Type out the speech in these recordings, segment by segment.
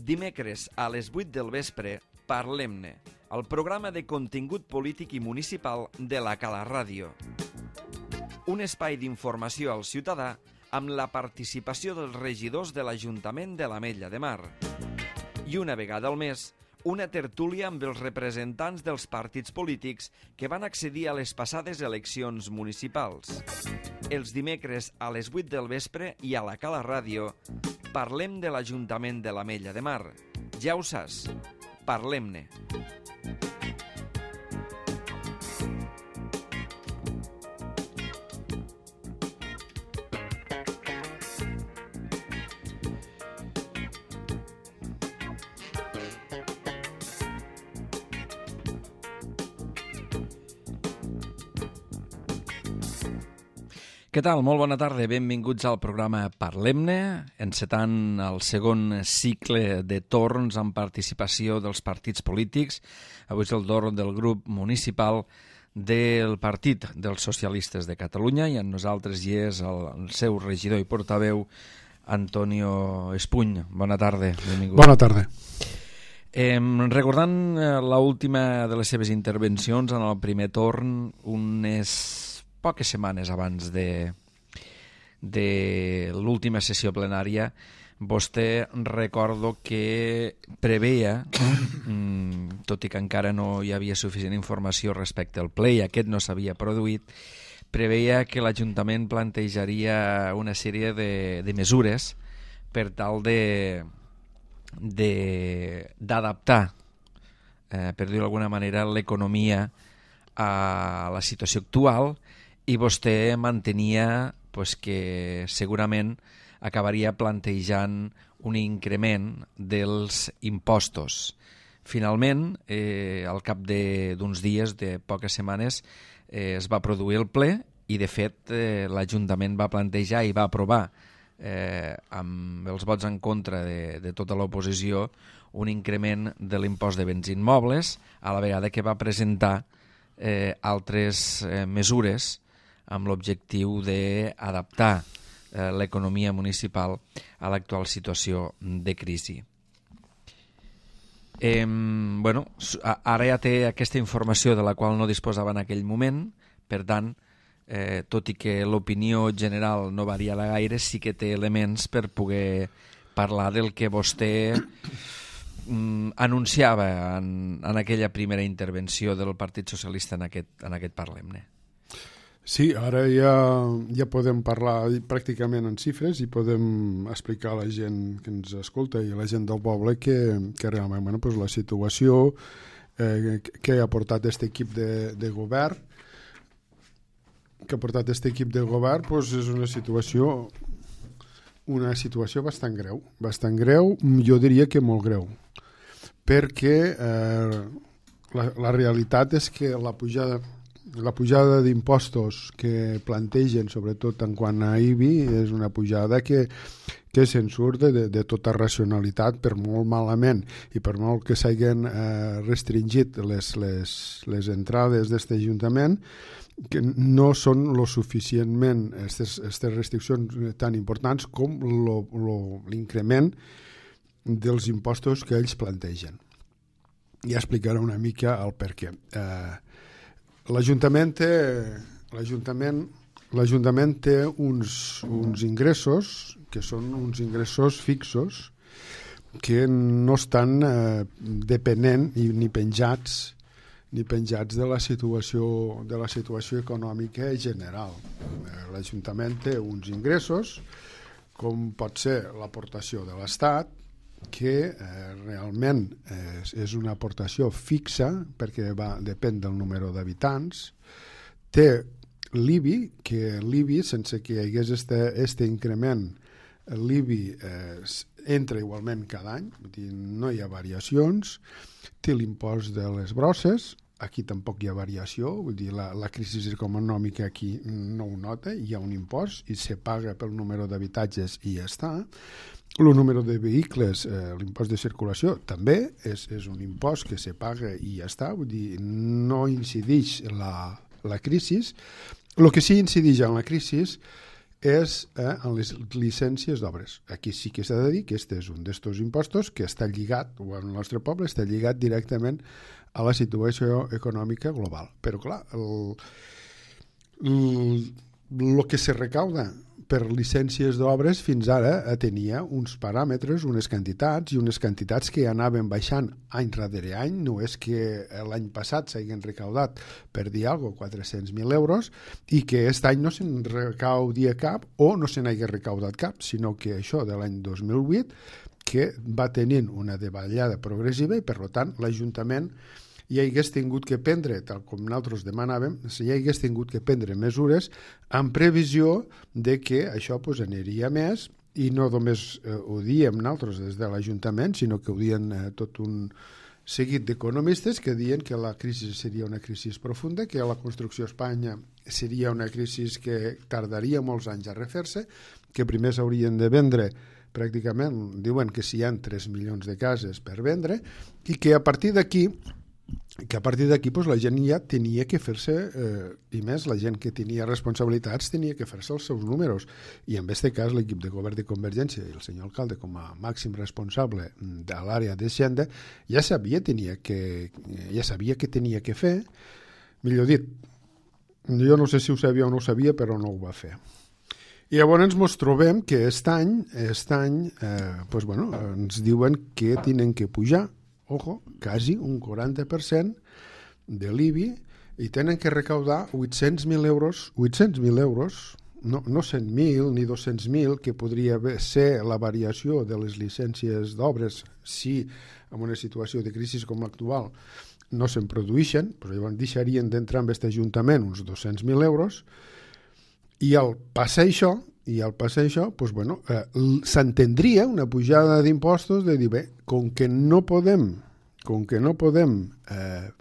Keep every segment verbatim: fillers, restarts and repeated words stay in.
Dimecres a les vuit del vespre, Parlem-ne, el programa de contingut polític i municipal de la Cala Ràdio. Un espai d'informació al ciutadà amb la participació dels regidors de l'Ajuntament de l'Ametlla de Mar. I una vegada al mes, una tertúlia amb els representants dels partits polítics que van accedir a les passades eleccions municipals. Els dimecres a les vuit del vespre i a la Cala Ràdio parlem de l'Ajuntament de l'Ametlla de Mar. Ja ho saps, parlem-ne. Què tal? Molt bona tarda. Benvinguts al programa Parlem-ne, encetant el segon cicle de torns amb participació dels partits polítics. Avui és el torn del grup municipal del Partit dels Socialistes de Catalunya i amb nosaltres hi és el, el seu regidor i portaveu, Antonio Espuny. Bona tarda. Benvingut. Bona tarda. Eh, recordant l'última de les seves intervencions en el primer torn, unes poques setmanes abans de, de l'última sessió plenària, vostè recordo que preveia, tot i que encara no hi havia suficient informació respecte al ple i aquest no s'havia produït, preveia que l'Ajuntament plantejaria una sèrie de, de mesures per tal de d'adaptar, eh, per dir-ho d'alguna manera, l'economia a la situació actual, i vostè mantenia pues, que segurament acabaria plantejant un increment dels impostos. Finalment, eh, al cap d'uns dies, de poques setmanes, eh, es va produir el ple i, de fet, eh, l'Ajuntament va plantejar i va aprovar, eh, amb els vots en contra de, de tota l'oposició, un increment de l'impost de béns immobles, a la vegada que va presentar eh, altres eh, mesures amb l'objectiu d'adaptar eh, l'economia municipal a l'actual situació de crisi. Eh, bueno, ara ja té aquesta informació de la qual no disposava en aquell moment, per tant, eh, tot i que l'opinió general no varia gaire, sí que té elements per poder parlar del que vostè mm, anunciava en, en aquella primera intervenció del Partit Socialista en aquest, en aquest Parlem-ne. Sí, ara ja, ja podem parlar pràcticament en xifres i podem explicar a la gent que ens escolta i a la gent del poble que, que realment bueno, pues la situació eh, que ha portat aquest equip de, de govern que ha portat aquest equip de govern pues és una situació una situació bastant greu, bastant greu, jo diria que molt greu, perquè eh, la, la realitat és que la pujada La pujada d'impostos que plantegen, sobretot en quant a I B I, és una pujada que, que se'n surt de, de tota racionalitat, per molt malament i per molt que s'hagin eh, restringit les, les, les entrades d'aquest Ajuntament, que no són lo suficientment aquestes restriccions tan importants com lo, lo, l'increment dels impostos que ells plantegen. Ja explicaré una mica el per què. Eh, L'Ajuntament té, l'Ajuntament, l'Ajuntament té uns, uns ingressos que són uns ingressos fixos que no estan eh, depenent ni, ni penjats ni penjats de la situació de la situació econòmica general. L'Ajuntament té uns ingressos com pot ser l'aportació de l'Estat, que eh, realment eh, és una aportació fixa perquè va, depèn del número d'habitants, té l'I B I, que l'I B I, sense que hi hagués este, este increment, l'I B I eh, entra igualment cada any, vull dir, no hi ha variacions, té l'impost de les brosses, aquí tampoc hi ha variació, vull dir, la, la crisi econòmica aquí no ho nota, hi ha un impost i se paga pel número d'habitatges i ja està. El número de vehicles, eh, l'impost de circulació, també és, és un impost que se paga i ja està, vull dir, no incideix la, la crisi. El que sí incideix en la crisi és eh, en les llicències d'obres. Aquí sí que s'ha de dir que aquest és un d'estos impostos que està lligat, o el nostre poble està lligat directament a la situació econòmica global. Però clar, el, el, el que se recauda per llicències d'obres fins ara tenia uns paràmetres, unes quantitats i unes quantitats que anaven baixant any darrere any. No és que l'any passat s'hagin recaudat, per dir alguna cosa, quatre-cents mil euros i que aquest any no se'n recaudia cap o no se n'hagi recaudat cap, sinó que això de l'any dos mil vuit que va tenint una davallada progressiva i per tant l'Ajuntament hi hagués tingut que prendre, tal com nosaltres demanàvem, hi hagués tingut que prendre mesures en previsió de que això pues, aniria més i no només eh, ho diem nosaltres des de l'Ajuntament, sinó que ho dien eh, tot un seguit d'economistes que diuen que la crisi seria una crisi profunda, que la construcció a Espanya seria una crisi que tardaria molts anys a refer-se, que primer s'haurien de vendre pràcticament, diuen que si hi ha tres milions de cases per vendre i que a partir d'aquí que a partir d'aquí pues, la gent ja tenia que fer-se, eh, i més la gent que tenia responsabilitats tenia que fer-se els seus números, i en aquest cas l'equip de govern de Convergència i el senyor alcalde com a màxim responsable de l'àrea d'Hisenda ja sabia, tenia que, ja sabia que tenia que fer, millor dit, jo no sé si ho sabia o no ho sabia, però no ho va fer. I llavors ens trobem que aquest any, aquest any eh, pues, bueno, ens diuen que tenen que pujar ojo, quasi un quaranta per cent de l'I B I i tenen que recaudar vuit-cents mil euros, vuit-cents mil euros, no, no cent mil ni dos-cents mil, que podria ser la variació de les llicències d'obres si en una situació de crisi com l'actual no se'n produeixen, però llavors deixarien d'entrar en aquest Ajuntament uns dos-cents mil euros i al passar això, i al passar això, doncs, bueno, eh, s'entendria una pujada d'impostos de dir, bé, com que no podem, com que no podem eh,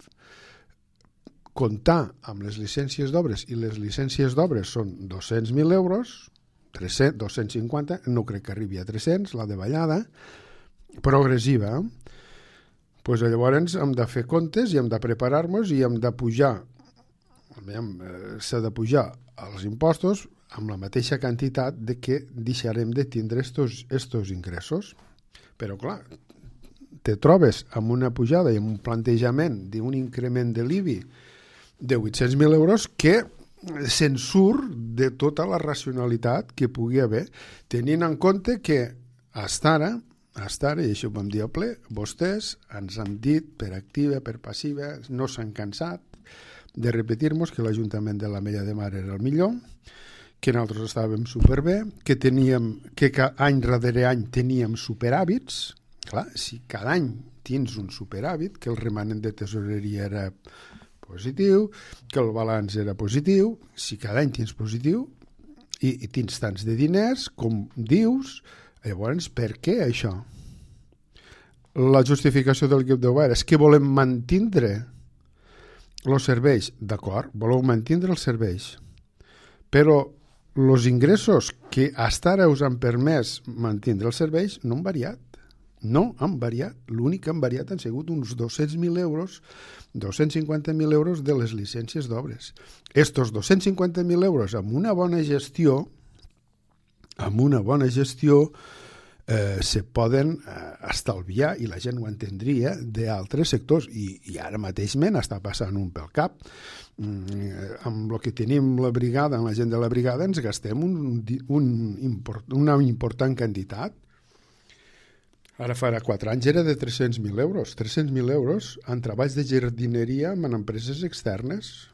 comptar amb les llicències d'obres i les llicències d'obres són dos-cents mil euros, tres-cents, dos-cents cinquanta, no crec que arribi a tres-cents, la davallada, progressiva, doncs llavors hem de fer comptes i hem de preparar-nos i hem de pujar, s'ha de pujar els impostos amb la mateixa quantitat de que deixarem de tindre estos, estos ingressos. Però clar, te trobes amb una pujada i amb un plantejament d'un increment de l'I B I de vuit-cents mil euros que se'n surt de tota la racionalitat que pugui haver, tenint en compte que fins ara, fins ara, i això ho vam dir a ple, vostès ens han dit per activa, per passiva, no s'han cansat de repetir-nos que l'Ajuntament de l'Ametlla de Mar era el millor, que nosaltres estàvem superbé, que teníem, que any darrere any teníem superàvits. Clar, si cada any tens un superàvit, que el remanent de tesoreria era positiu, que el balanç era positiu, si cada any tens positiu i, i tens tants de diners, com dius, llavors per què això? La justificació del l'equip de govern és que volem mantindre els serveis, d'acord, voleu mantindre els serveis, però els ingressos que fins ara us han permès mantindre els serveis no han variat. No han variat. L'únic que han variat han sigut uns dos-cents mil euros, dos-cents cinquanta mil euros de les llicències d'obres. Estos dos-cents cinquanta mil euros amb una bona gestió, amb una bona gestió, eh, se poden eh, estalviar, i la gent ho entendria, d'altres sectors, i, i ara mateix me n'està passant un pel cap. Mm, amb el que tenim la brigada, amb la gent de la brigada, ens gastem un, un import, una important quantitat. Ara farà quatre anys era de tres-cents mil euros. tres-cents mil euros en treballs de jardineria en empreses externes.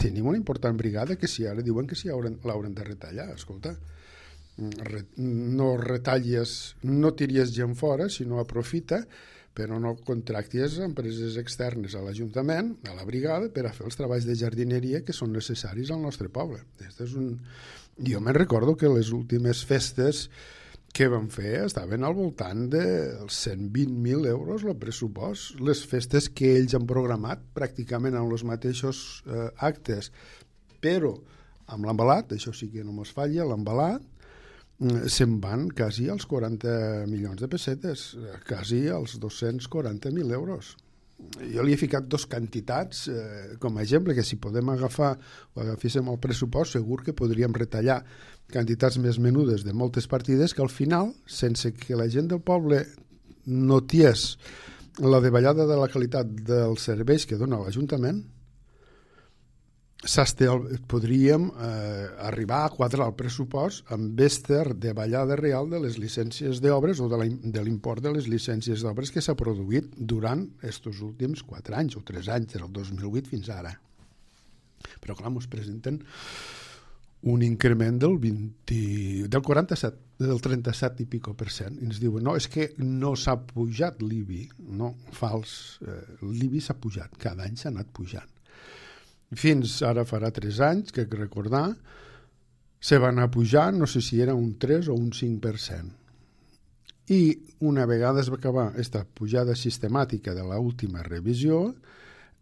Tenim una important brigada que si ara diuen que si l'hauran de retallar. Escolta, no retalles, no tiries gent fora, sinó aprofita, però no contractis empreses externes a l'Ajuntament, a la brigada, per a fer els treballs de jardineria que són necessaris al nostre poble. Este és un... Jo me'n recordo que les últimes festes que vam fer estaven al voltant dels cent vint mil euros el pressupost. Les festes que ells han programat pràcticament amb els mateixos eh, actes, però amb l'embalat, això sí que no mos falla, l'embalat, se'n van quasi als quaranta milions de pessetes, quasi als dos-cents quaranta mil euros. jo li he ficat dos quantitats eh, com a exemple, que si podem agafar o agaféssim el pressupost, segur que podríem retallar quantitats més menudes de moltes partides que al final, sense que la gent del poble notés la davallada de la qualitat dels serveis que dona l'Ajuntament, podríem eh, arribar a quadrar el pressupost amb esta davallada real de les llicències d'obres o de l'import de les llicències d'obres que s'ha produït durant aquests últims quatre anys o tres anys, des del dos mil vuit fins ara. Però clar, ens presenten un increment del vint, del quaranta-set, del trenta-set i pico per cent. I ens diuen, no, és que no s'ha pujat l'I B I. No, fals. Eh, L'I B I s'ha pujat, cada any s'ha anat pujant. Fins ara farà tres anys, que recordar, se va anar pujant, no sé si era un tres o un cinc per cent. I una vegada es va acabar aquesta pujada sistemàtica de l'última revisió,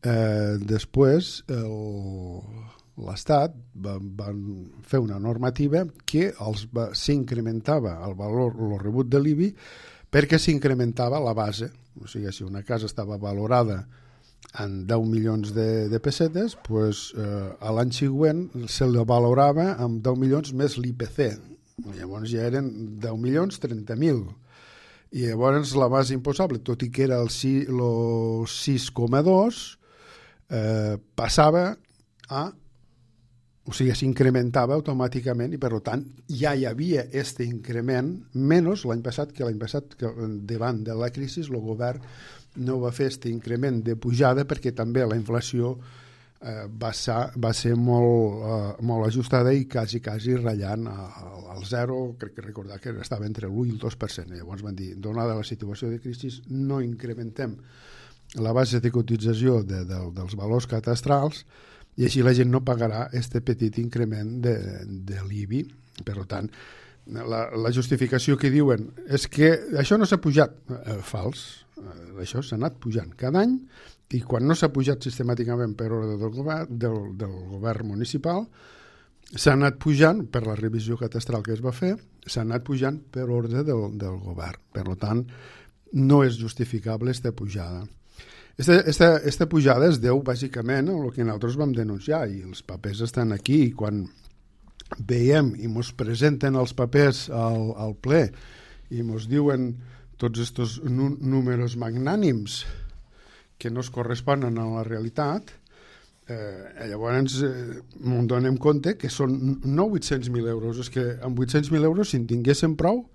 eh, després l'Estat va, va fer una normativa que s'incrementava el valor, el rebut de l'I B I, perquè s'incrementava la base. O sigui, si una casa estava valorada en deu milions de, de pessetes, pues, eh, a l'any següent se la valorava amb deu milions més l'I P C. Llavors ja eren deu milions trenta mil. I llavors la base imposable, tot i que era el sis coma dos, eh, passava a... O sigui, s'incrementava automàticament i, per tant, ja hi havia aquest increment, menys l'any passat, que l'any passat, que davant de la crisi, el govern no va fer aquest increment de pujada perquè també la inflació eh, va, ser, va ser molt, eh, molt ajustada i quasi, quasi ratllant al zero, crec que recordar que estava entre l'u i el dos per cent. Llavors van dir, donada la situació de crisi, no incrementem la base de cotització de, de, dels valors catastrals i així la gent no pagarà aquest petit increment de, de l'I B I. Per tant, la, la justificació que diuen és que això no s'ha pujat. Eh, fals. Eh, això s'ha anat pujant cada any i quan no s'ha pujat sistemàticament per ordre del govern, del, del govern municipal, s'ha anat pujant per la revisió catastral que es va fer, s'ha anat pujant per ordre del, del govern. Per tant, no és justificable aquesta pujada. Aquesta pujada es deu bàsicament a el que nosaltres vam denunciar i els papers estan aquí i quan veiem i ens presenten els papers al, al ple i ens diuen tots aquests números magnànims que no es corresponen a la realitat, eh, llavors eh, ens donem compte que són no vuit-cents mil euros, és que amb vuit-cents mil euros si en tinguéssim prou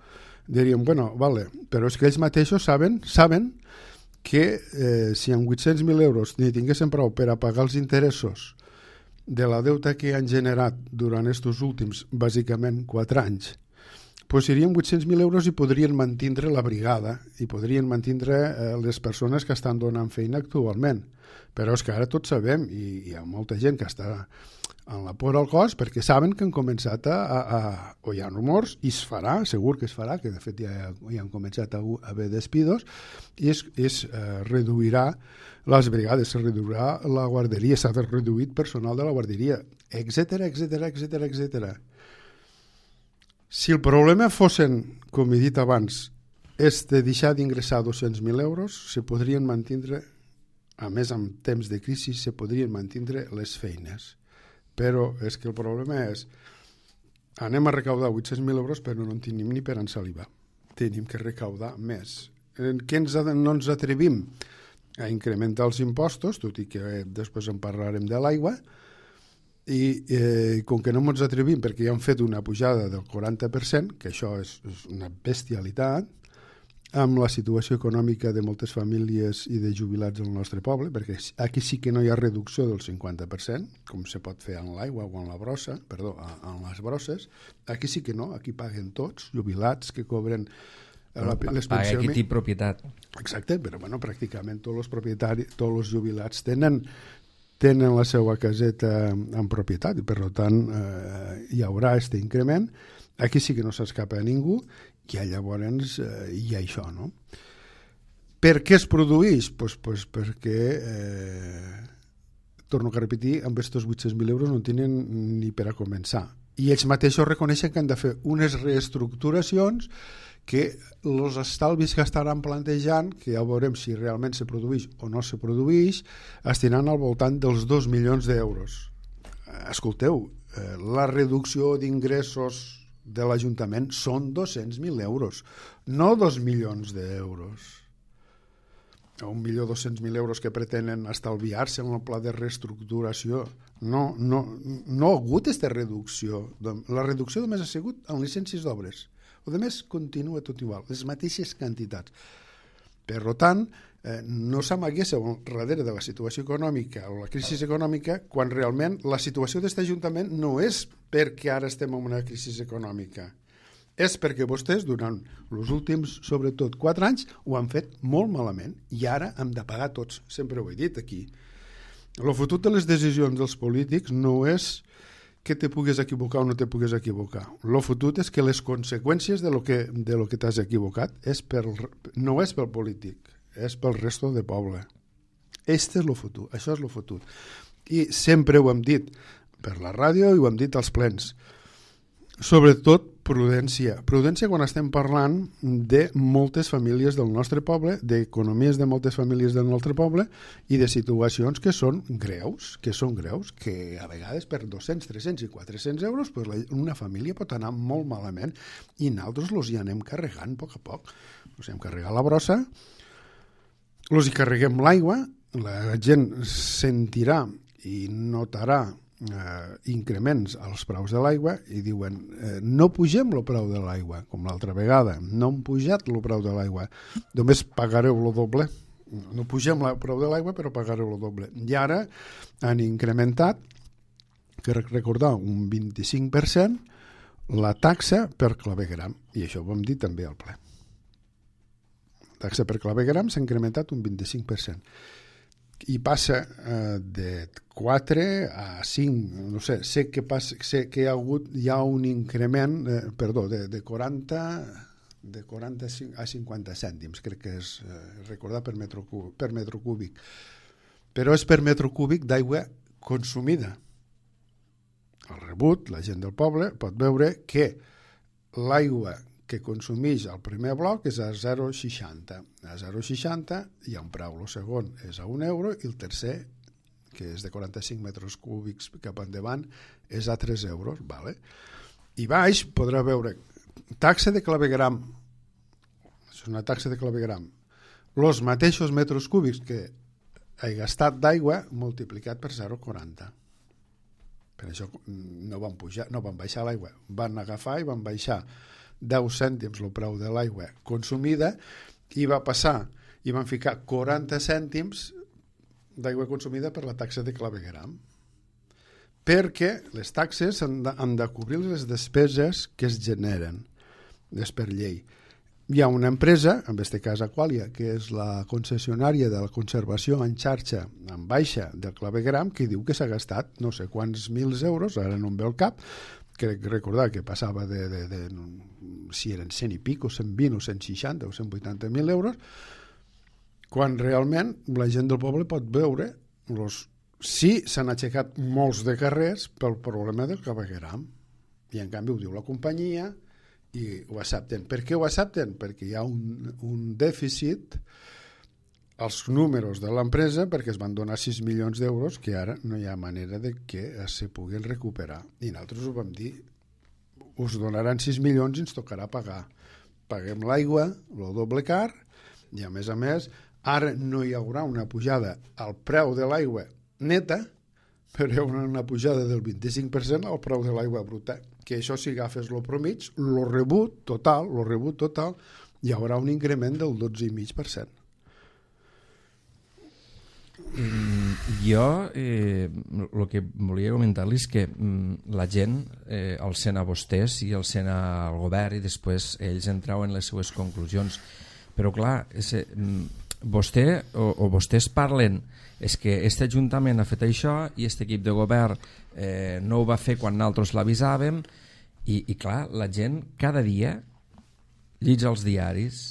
diríem, bueno, vale, però és que ells mateixos saben, saben que eh, si amb vuit-cents mil euros ni tinguéssim prou per a pagar els interessos de la deuta que han generat durant aquests últims, bàsicament, quatre anys, doncs serien vuit-cents mil euros i podrien mantindre la brigada i podrien mantindre eh, les persones que estan donant feina actualment. Però és que ara tots sabem, i hi ha molta gent que està en la por al cos perquè saben que han començat a, a, a o hi ha rumors, i es farà, segur que es farà, que de fet ja, ja han començat a haver despidos, i es, es eh, reduirà les brigades, se reduirà la guarderia, s'ha reduït personal de la guarderia, etcètera, etcètera, etcètera, etcètera. Si el problema fossin, com he dit abans, és de deixar d'ingressar dos-cents mil euros, se podrien mantindre, a més en temps de crisi, se podrien mantindre les feines. Però és que el problema és anem a recaudar vuit-cents mil euros però no en tenim ni per ensalivar. Tenim que recaudar més. En què ens, no ens atrevim a incrementar els impostos, tot i que eh, després en parlarem de l'aigua, i eh, com que no ens atrevim perquè ja han fet una pujada del quaranta per cent, que això és, és una bestialitat, amb la situació econòmica de moltes famílies i de jubilats del nostre poble, perquè aquí sí que no hi ha reducció del cinquanta per cent, com se pot fer en l'aigua o en la brossa, perdó, en les brosses, aquí sí que no, aquí paguen tots, jubilats que cobren la, les pensions. Paga qui té propietat. Exacte, però bueno, pràcticament tots els propietaris, tots els jubilats tenen tenen la seva caseta en propietat i per tant eh, hi haurà aquest increment. Aquí sí que no s'escapa a ningú i llavors eh, hi ha això, no? Per què es produeix? Pues, pues perquè, eh, torno a repetir, amb aquests vuit-cents mil euros no tenen ni per a començar. i ells mateixos reconeixen que han de fer unes reestructuracions que els estalvis que estaran plantejant, que ja veurem si realment se produeix o no se produeix, estiran al voltant dels dos milions d'euros. Escolteu, la reducció d'ingressos de l'Ajuntament són dos-cents mil euros, no dos milions d'euros. Un milió dos-cents mil euros que pretenen estalviar-se en el pla de reestructuració. No, no, no ha hagut aquesta reducció. La reducció només ha sigut en llicències d'obres. O de més, continua tot igual, les mateixes quantitats. Per tant, eh, no s'amaguéssiu darrere de la situació econòmica o la crisi econòmica quan realment la situació d'aquest Ajuntament no és perquè ara estem en una crisi econòmica. És perquè vostès, durant els últims, sobretot, quatre anys, ho han fet molt malament i ara hem de pagar tots. Sempre ho he dit aquí. El futur de les decisions dels polítics no és que te pugues equivocar o no te pugues equivocar. El futur és que les conseqüències de lo que, de lo que t'has equivocat és per, no és pel polític, és pel resto de poble. Este és el futur, això és el futur. I sempre ho hem dit per la ràdio i ho hem dit als plens. Sobretot prudència. Prudència quan estem parlant de moltes famílies del nostre poble, d'economies de moltes famílies del nostre poble i de situacions que són greus, que són greus, que a vegades per dos-cents, tres-cents i quatre-cents euros pues una família pot anar molt malament i nosaltres els hi anem carregant a poc a poc. Els hem carregat la brossa, els hi carreguem l'aigua, la gent sentirà i notarà Eh, increments als preus de l'aigua i diuen eh, no pugem el preu de l'aigua com l'altra vegada, no hem pujat el preu de l'aigua, només pagareu el doble, no pugem el preu de l'aigua però pagareu el doble, i ara han incrementat, que recordar, un vint-i-cinc per cent la taxa per clavegueram, i això ho vam dir també al ple. La taxa per clavegueram s'ha incrementat un vint-i-cinc per cent i passa eh, de quatre a cinc, no sé, sé que, passa, sé que hi ha hagut hi ha un increment, eh, perdó, de, de quaranta de quaranta a cinquanta cèntims, crec que és eh, recordar per metro, per metro cúbic, però és per metro cúbic d'aigua consumida. Al rebut, la gent del poble pot veure que l'aigua que consumeix el primer bloc és a zero coma seixanta. A zero coma seixanta hi ha un preu, el segon és a un euro i el tercer, que és de quaranta-cinc metres cúbics cap endavant, és a tres euros. Vale? I baix podrà veure taxa de clavegueram. És una taxa de clavegueram. Els mateixos metres cúbics que he gastat d'aigua multiplicat per zero coma quaranta. Per això no van pujar, no van baixar l'aigua. Van agafar i van baixar deu cèntims el preu de l'aigua consumida i va passar i van ficar quaranta cèntims d'aigua consumida per la taxa de clavegueram, perquè les taxes han de, han de cobrir les despeses que es generen, és per llei. Hi ha una empresa, en aquest cas Aqualia, que és la concessionària de la conservació en xarxa en baixa del clavegueram, que diu que s'ha gastat no sé quants mils euros, ara no em ve el cap, crec recordar que passava de, de, de, de si eren cent i pico, cent vint o cent seixanta o cent vuitanta mil euros, quan realment la gent del poble pot veure los, sí s'han aixecat molts de carrers pel problema del clavegueram, i en canvi ho diu la companyia i ho accepten. Per què ho accepten? Perquè hi ha un, un dèficit als números de l'empresa, perquè es van donar sis milions d'euros que ara no hi ha manera de que se puguin recuperar. I nosaltres ho vam dir, us donaran sis milions i ens tocarà pagar. Paguem l'aigua, el doble car, i a més a més, ara no hi haurà una pujada al preu de l'aigua neta, però hi haurà una pujada del vint-i-cinc per cent al preu de l'aigua bruta, que això si agafes el promig, el rebut total, el rebut total, hi haurà un increment del dotze coma cinc per cent. Mm, jo eh, el que volia comentar-li és que mm, la gent eh, el sent a vostès i el sent al govern i després ells en trauen les seues conclusions, però clar ese, mm, vostè o, o vostès parlen és que aquest Ajuntament ha fet això i aquest equip de govern eh, no ho va fer quan nosaltres l'avisàvem i, i clar, la gent cada dia lletja els diaris,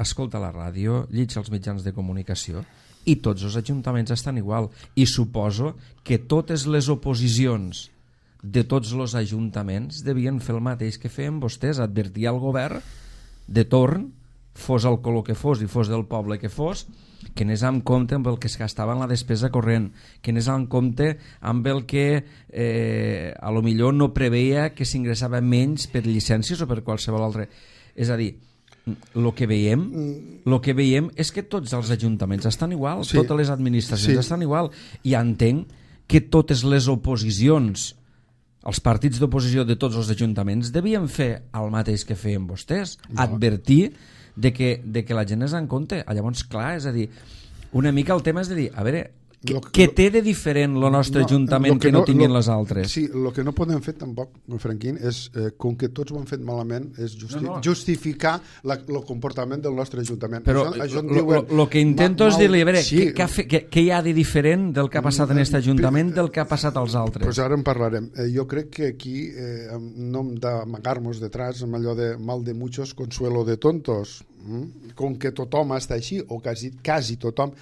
escolta la ràdio, lletja els mitjans de comunicació i tots els ajuntaments estan igual i suposo que totes les oposicions de tots els ajuntaments devien fer el mateix que feien vostès, advertir al govern de torn, fos el color que fos i fos del poble que fos, que anés en compte amb el que es gastava en la despesa corrent, que anés en compte amb el que eh, a lo millor no preveia que s'ingressava menys per llicències o per qualsevol altre. És a dir, el que veiem el que veiem és que tots els ajuntaments estan igual, sí. Totes les administracions sí. estan igual, i entenc que totes les oposicions, els partits d'oposició de tots els ajuntaments devien fer el mateix que feien vostès, no. Advertir de que, de que la gent és en compte. Llavors, clar, és a dir, una mica el tema és de dir, a veure, què, que, què té de diferent el nostre no, ajuntament que, que no, no tinguin lo, les altres? Sí, el que no podem fer tampoc, Franquín, és, eh, com que tots ho han fet malament, és justi no, no. justificar el comportament del nostre ajuntament. Però el que intento mal, és dir-li, a veure, sí, què, què, què, què hi ha de diferent del que ha passat en aquest ajuntament del que ha passat als altres? Pues ara en parlarem. Eh, jo crec que aquí eh, no hem d'amagar-nos detrás amb allò de mal de muchos, consuelo de tontos. Mm? Com que tothom està així, o quasi, quasi tothom.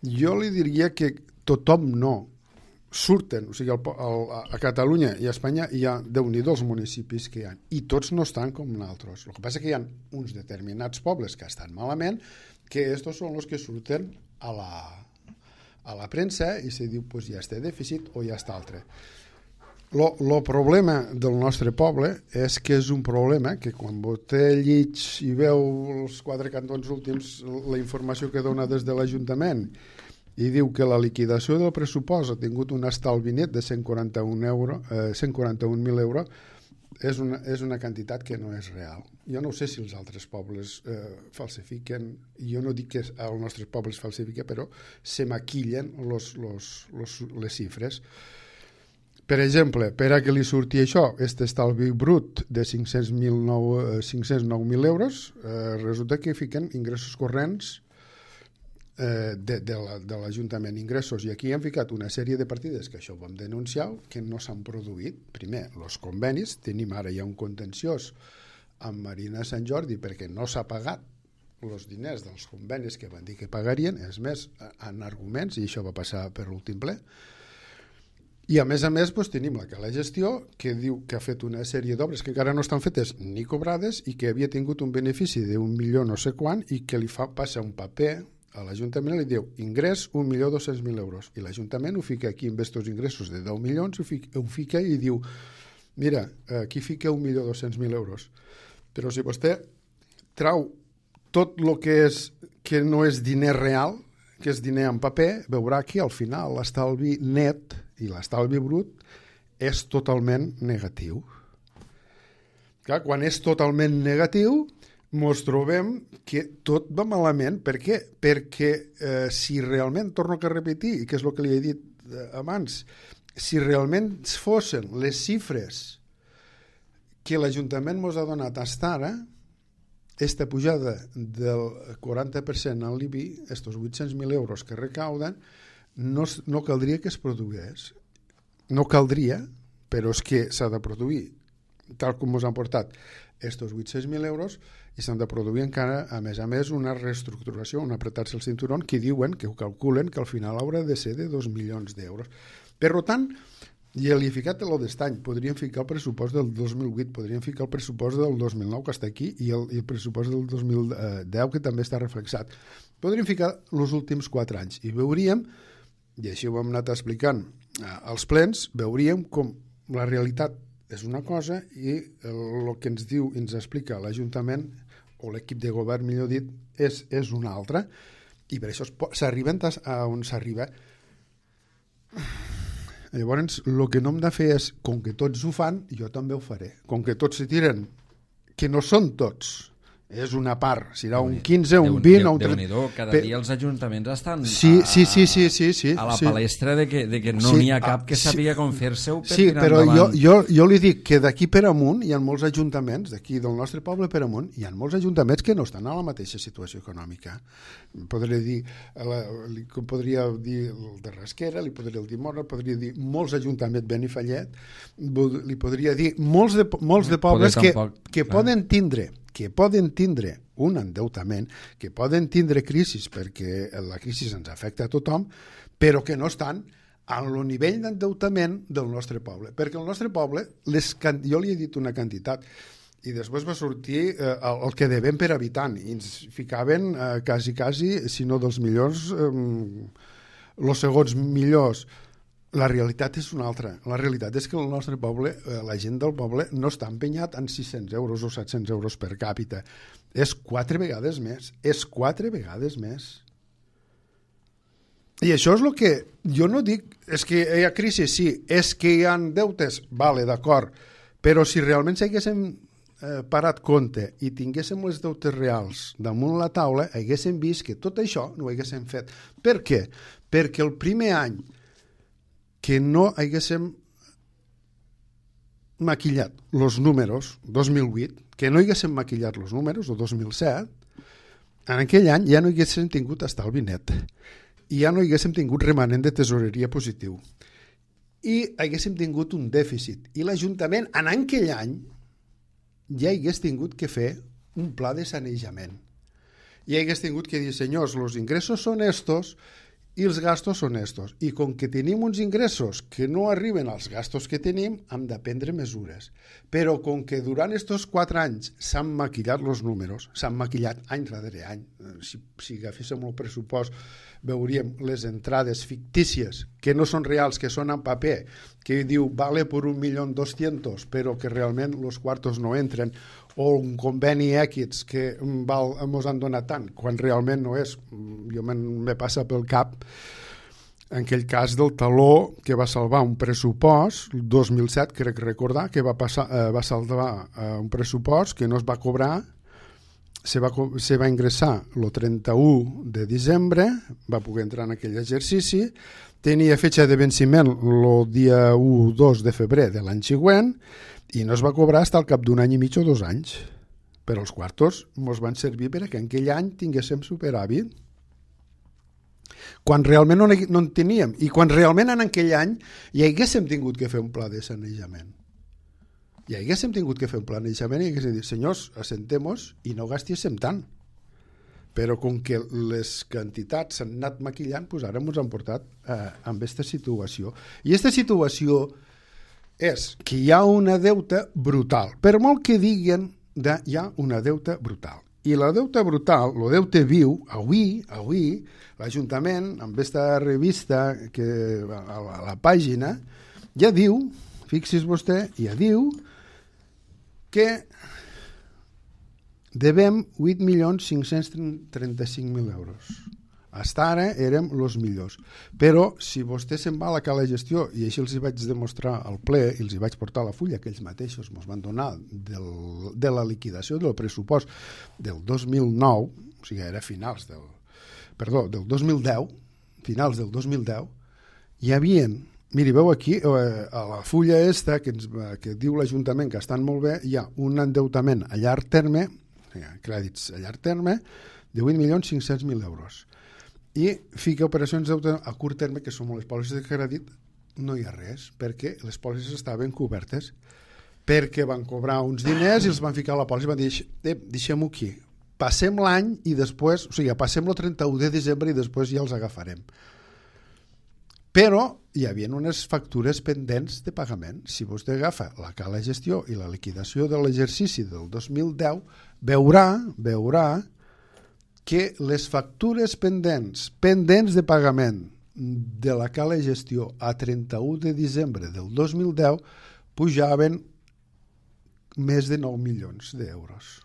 Jo li diria que tothom no. Surten, o sigui, el, el, a Catalunya i a Espanya hi ha, Déu-n'hi-do els municipis que hi ha, i tots no estan com nosaltres. El que passa que hi ha uns determinats pobles que estan malament, que estos són els que surten a la, a la premsa i se diu, pues ja està dèficit o ja està altre. El problema del nostre poble és que és un problema que quan vostè llig i veu els quatre cantons últims, la informació que dona des de l'Ajuntament, i diu que la liquidació del pressupost ha tingut un estalvi net de cent quaranta-un mil euros, és una, és una quantitat que no és real. Jo no sé si els altres pobles eh, falsifiquen, jo no dic que el nostre poble es falsifica, però se maquillen los, los, los, les xifres. Per exemple, per a que li surti això, aquest estalvi brut de cinc-cents nou mil euros, eh, resulta que fiquen ingressos corrents eh, de, de l'Ajuntament, ingressos, i aquí hem ficat una sèrie de partides que això ho vam denunciar, que no s'han produït. Primer, els convenis, tenim ara ja un contenciós amb Marina Sant Jordi perquè no s'ha pagat els diners dels convenis que van dir que pagarien, és més, en arguments, i això va passar per l'últim ple. I a més a més doncs, tenim la que la gestió, que diu que ha fet una sèrie d'obres que encara no estan fetes ni cobrades i que havia tingut un benefici d'un milió no sé quant i que li fa passar un paper a l'Ajuntament i li diu ingrés un milió dos-cents mil euros. I l'Ajuntament ho fica aquí amb estos ingressos de deu milions, ho fica, ho fica i diu mira, aquí fica un milió dos-cents mil euros. Però si vostè trau tot el que, és, que no és diner real, que és diner en paper, veurà que al final l'estalvi net i l'estalvi brut és totalment negatiu. Clar, quan és totalment negatiu, ens trobem que tot va malament. Per què? Perquè eh, si realment, torno a repetir, i que és el que li he dit eh, abans, si realment fossin les xifres que l'Ajuntament ens ha donat fins ara, aquesta pujada del quaranta per cent en l'I B I, aquests vuit-cents mil euros que recauden, no, no caldria que es produís. No caldria, però és que s'ha de produir, tal com ens han portat aquests vuit-cents mil euros, i s'han de produir encara, a més a més, una reestructuració, un apretar-se el cinturón, que diuen, que ho calculen, que al final haurà de ser de dos milions d'euros. Per tant, ja li he ficat el d'estany, podríem ficar el pressupost del dos mil vuit, podríem ficar el pressupost del dos mil nou, que està aquí, i el, i el pressupost del dos mil deu, que també està reflexat. Podríem ficar els últims quatre anys, i veuríem, i així ho hem anat explicant als plens, veuríem com la realitat és una cosa i el que ens diu, ens explica l'Ajuntament, o l'equip de govern, millor dit, és, és una altra, i per això s'arriben a on s'arriba. Llavors, el que no hem de fer és, com que tots ho fan, jo també ho faré. Com que tots se tiren, que no són tots, és una part, serà un quinze, un vint, un trenta... Déu-n'hi-do, cada dia els ajuntaments estan sí, sí, sí, sí, sí, sí, a la sí. palestra de que, de que no sí, n'hi ha cap que sí, sàpiga com fer-se-ho per sí, tirar però endavant. Jo, jo, jo li dic que d'aquí per amunt hi ha molts ajuntaments, d'aquí del nostre poble per amunt, hi ha molts ajuntaments que no estan a la mateixa situació econòmica. Podria dir, la, li podria dir el de Rasquera, li podria dir Mora, podria dir molts ajuntaments, Benifallet, li podria dir molts de, molts de pobles que, que poden tindre que poden tindre un endeutament, que poden tindre crisis perquè la crisi ens afecta a tothom, però que no estan en el nivell d'endeutament del nostre poble. Perquè el nostre poble, les, jo li he dit una quantitat, i després va sortir eh, el, el que devem per habitant, i ens ficaven eh, quasi, quasi, si no dels millors, eh, els segons millors. La realitat és una altra. La realitat és que el nostre poble, eh, la gent del poble, no està empenyat en sis-cents euros o set-cents euros per càpita. És quatre vegades més. És quatre vegades més. I això és el que jo no dic, és que hi ha crisi, sí, és que hi ha deutes, vale, d'acord, però si realment s'haguéssim eh, parat compte i tinguéssim els deutes reals damunt la taula, haguéssim vist que tot això no ho haguéssim fet. Per què? Perquè el primer any que no haguéssim maquillat els números, dos mil vuit, que no haguéssim maquillat els números, o dos mil set, en aquell any ja no haguéssim tingut estalvi net. I ja no haguéssim tingut remanent de tesoreria positiu i haguéssim tingut un dèficit i l'Ajuntament en aquell any ja hagués tingut que fer un pla de sanejament i hagués tingut que dir, senyors, els ingressos són estos i els gastos són estos, i com que tenim uns ingressos que no arriben als gastos que tenim, hem de prendre mesures. Però com que durant estos quatre anys s'han maquillat els números, s'han maquillat any darrere any, si, si agaféssim el pressupost veuríem les entrades fictícies que no són reals, que són en paper, que diu vale per un milió dos-cents, però que realment els quartos no entren, o un conveni X que val, mos han donat tant, quan realment no és. Jo me passa pel cap en aquell cas del taló que va salvar un pressupost, el dos mil set, crec recordar, que va, passar, eh, va salvar eh, un pressupost que no es va cobrar, se va, se va ingressar el trenta-u de desembre, va poder entrar en aquell exercici, tenia fetge de venciment el dia u dos de febrer de l'any següent i no es va cobrar fins al cap d'un any i mig o dos anys. Però els quartos ens van servir perquè en aquell any tinguéssim superàvit. Quan realment no, no en teníem, i quan realment en aquell any hi haguéssim tingut que fer un pla de sanejament. Hi haguéssim tingut que fer un planejament i haguéssim dit, senyors, assentem-nos i no gastíssim tant. Però com que les quantitats s'han anat maquillant, doncs ara ens han portat eh, amb aquesta situació. I aquesta situació és que hi ha una deuta brutal. Per molt que diguen, de, hi ha una deuta brutal. I la deuta brutal, el deute viu, avui, avui, l'Ajuntament, amb aquesta revista que a la, a la pàgina, ja diu, fixi's vostè, ja diu que devem vuit milions cinc-cents trenta-cinc mil euros. Fins ara érem els millors. Però si vostè se'n va a la cala de gestió, i així els hi vaig demostrar al ple, i els hi vaig portar la fulla que ells mateixos ens van donar del, de la liquidació del pressupost del dos mil nou, o sigui, era finals del, perdó, del dos mil deu, finals del dos mil deu, hi havia, miri, veu aquí, eh, a la fulla esta que, ens, que diu l'Ajuntament que estan molt bé, hi ha un endeutament a llarg terme, crèdits a llarg terme, de vuit milions cinc-cents mil euros. I fica operacions a curt terme, que són les pòlisses de crèdit, no hi ha res, perquè les pòlisses estaven cobertes, perquè van cobrar uns diners i els van ficar a la pòlissa i van dir, eh, deixem-ho aquí, passem l'any i després, o sigui, passem el trenta-u de desembre i després ja els agafarem. Però hi havia unes factures pendents de pagament. Si vostè agafa la cala de gestió i la liquidació de l'exercici del dos mil deu, veurà, veurà que les factures pendents, pendents de pagament de la cala de gestió a trenta-u de desembre del dos mil deu pujaven més de nou milions d'euros.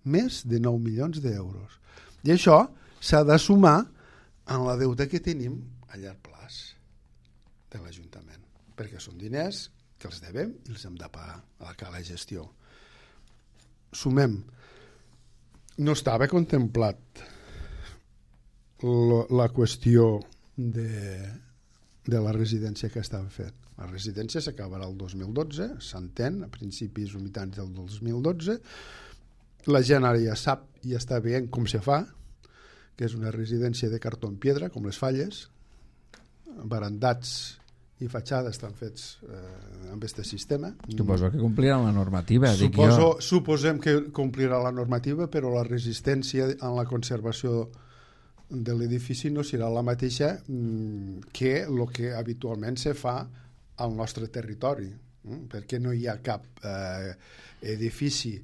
Més de nou milions d'euros. I això s'ha de sumar en la deuta que tenim a llarg plaç de l'Ajuntament, perquè són diners que els devem i els hem de pagar a la cala de gestió. Sumem. No estava contemplat la qüestió de, de la residència que estava fet. La residència s'acabarà el dos mil dotze, s'entén, a principis o mitjans del dos mil dotze. La gent ara ja sap i ja està veient com se fa, que és una residència de cartó en pedra, com les falles, barandats i fatxades estan fets eh, amb aquest sistema. Suposo que compliran la normativa. Suposo, dic jo. Suposem que complirà la normativa, però la resistència en la conservació de l'edifici no serà la mateixa que el que habitualment se fa al nostre territori, perquè no hi ha cap eh, edifici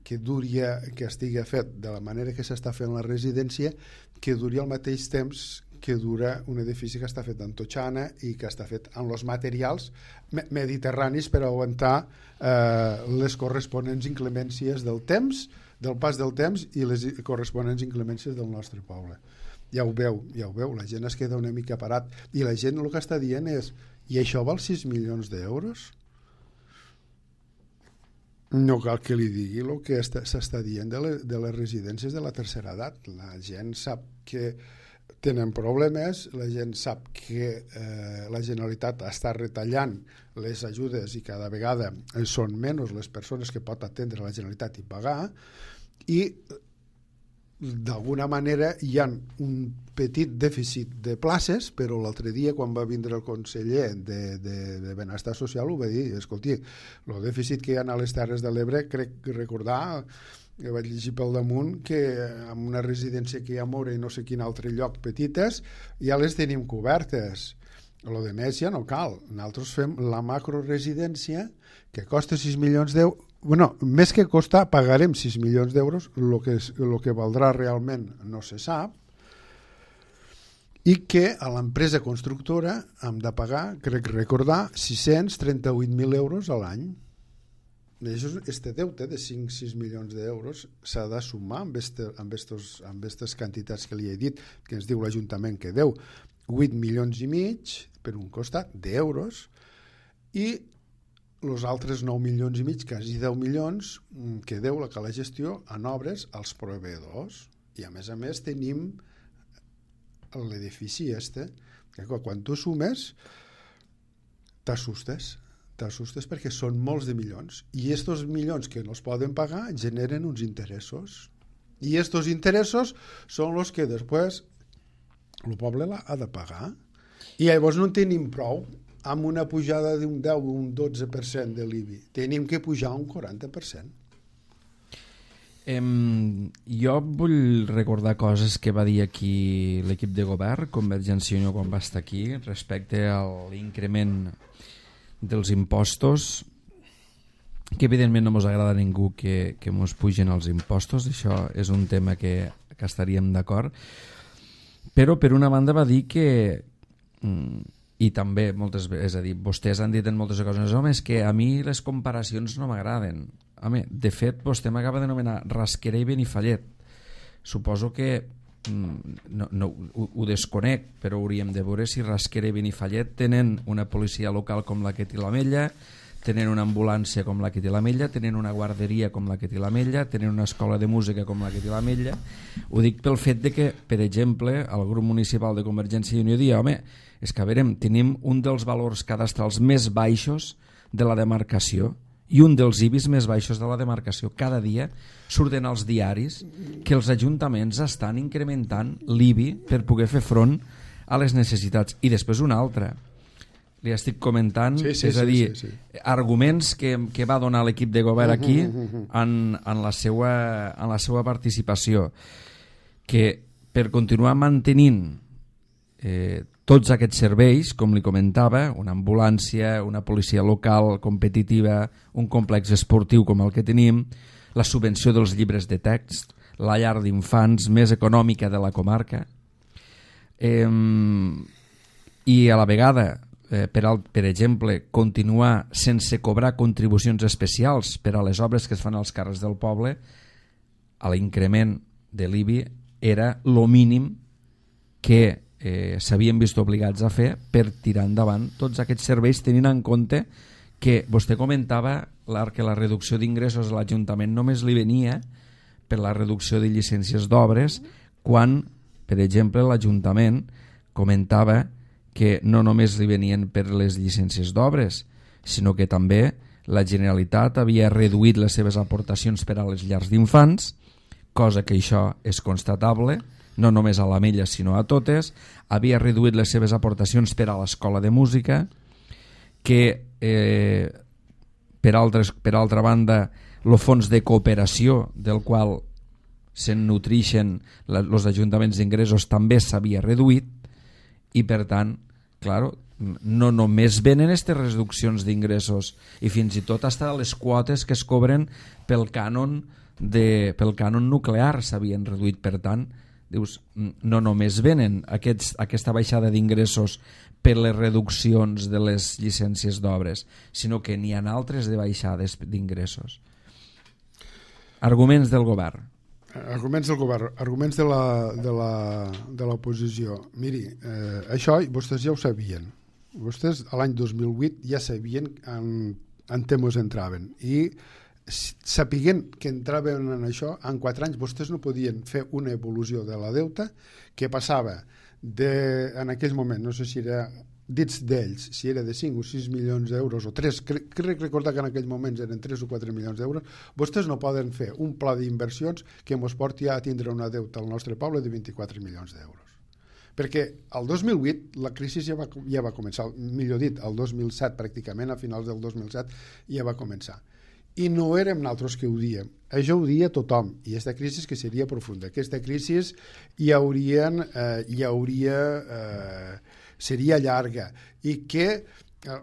que duri, que estigui fet de la manera que s'està fent la residència, que duri al mateix temps que dura un edifici que està fet en totxana i que està fet amb els materials mediterranis per aguantar eh, les corresponents inclemències del temps, del pas del temps i les corresponents inclemències del nostre poble. Ja ho veu, ja ho veu, la gent es queda una mica parat i la gent el que està dient és: i això val sis milions d'euros? No cal que li digui el que s'està dient de, le, de les residències de la tercera edat. La gent sap que tenen problemes, la gent sap que eh, la Generalitat està retallant les ajudes i cada vegada són menys les persones que pot atendre la Generalitat i pagar, i d'alguna manera hi ha un petit dèficit de places, però l'altre dia quan va vindre el conseller de, de, de Benestar Social ho va dir: escolti, el dèficit que hi ha a les Terres de l'Ebre, crec recordar que vaig llegir pel damunt que en una residència que hi ha a Mora i no sé quin altre lloc petites ja les tenim cobertes. Lo de més ja no cal. Nosaltres fem la macroresidència que costa sis milions d'euros. Bueno, més que costar, pagarem sis milions d'euros, el que, el que valdrà realment no se sap, i que a l'empresa constructora hem de pagar, crec recordar, sis-cents trenta-vuit mil euros a l'any. Este deute de cinc sis milions d'euros s'ha de sumar amb aquestes quantitats que li he dit, que ens diu l'Ajuntament que deu vuit milions i mig per un costat d'euros, i els altres nou milions i mig, quasi deu milions, que deu la cala gestió en obres als proveïdors. I a més a més tenim l'edifici este, que quan tu sumes t'assustes. t'assustes perquè són molts de milions, i estos milions que no es poden pagar generen uns interessos, i estos interessos són els que després el poble ha de pagar, i llavors no en tenim prou amb una pujada d'un deu o un dotze per cent de l'I B I, tenim que pujar un quaranta per cent. Em, jo vull recordar coses que va dir aquí l'equip de govern, Convergència i Unió, quan va estar aquí, respecte a l'increment dels impostos, que evidentment no ens agrada a ningú que, que ens pugen els impostos, això és un tema que, que estaríem d'acord, però per una banda va dir que, i també moltes vegades, és a dir, vostès han dit en moltes ocasions, home, és que a mi les comparacions no m'agraden. Home, de fet, vostè m'acaba d'anomenar Rasquera i Benifallet. Suposo que no, no, ho, ho desconec, però hauríem de veure si Rasquera i Benifallet tenen una policia local com la que té l'Ametlla, tenen una ambulància com la que té l'Ametlla, tenen una guarderia com la que té l'Ametlla, tenen una escola de música com la que té l'Ametlla. Ho dic pel fet de que, per exemple, el grup municipal de Convergència i Unió dia, home, és que a veure, tenim un dels valors cadastrals més baixos de la demarcació i un dels I B Is més baixos de la demarcació. Cada dia surten als diaris que els ajuntaments estan incrementant l'I B I per poder fer front a les necessitats. I després una altra, li estic comentant, sí, sí, és a dir, sí, sí, sí. arguments que, que va donar l'equip de govern aquí en, en, la seva, en la seva participació, que per continuar mantenint eh, tots aquests serveis, com li comentava, una ambulància, una policia local competitiva, un complex esportiu com el que tenim, la subvenció dels llibres de text, la llar d'infants més econòmica de la comarca, eh, i a la vegada, eh, per, al, per exemple, continuar sense cobrar contribucions especials per a les obres que es fan als carrers del poble, a l'increment de l'I B I era lo mínim que eh, s'havien vist obligats a fer per tirar endavant tots aquests serveis, tenint en compte que vostè comentava que la reducció d'ingressos a l'Ajuntament només li venia per la reducció de llicències d'obres, quan, per exemple, l'Ajuntament comentava que no només li venien per les llicències d'obres, sinó que també la Generalitat havia reduït les seves aportacions per a les llars d'infants, cosa que això és constatable, no només a l'Ametlla sinó a totes, havia reduït les seves aportacions per a l'escola de música, que eh, per, altres, per altra banda el fons de cooperació del qual se'n nutrixen els ajuntaments d'ingressos també s'havia reduït i per tant, claro, no només venen aquestes reduccions d'ingressos i fins i tot hasta les quotes que es cobren pel cànon, de, pel cànon nuclear s'havien reduït, per tant dius, no només venen aquests, aquesta baixada d'ingressos per les reduccions de les llicències d'obres, sinó que n'hi ha altres de baixades d'ingressos. Arguments del govern. Arguments del govern, arguments de la, de la, de l'oposició. Miri, eh, això vostès ja ho sabien. Vostès l'any dos mil vuit ja sabien en, en temes entraven i sapiguent que entraven en això, en quatre anys vostès no podien fer una evolució de la deuta que passava de, en aquell moment, no sé si era dits d'ells, si era de cinc o sis milions d'euros o tres, crec, crec recordar que en aquells moments eren tres o quatre milions d'euros, vostès no poden fer un pla d'inversions que ens porti a tindre una deuta al nostre poble de vint-i-quatre milions d'euros. Perquè el dos mil vuit la crisi ja va, ja va començar, millor dit, el dos mil set pràcticament, a finals del dos mil set ja va començar. I no érem nosaltres que ho diem, això ho dia tothom, i aquesta crisi que seria profunda, aquesta crisi hi haurien, eh, hi hauria, eh, seria llarga, i que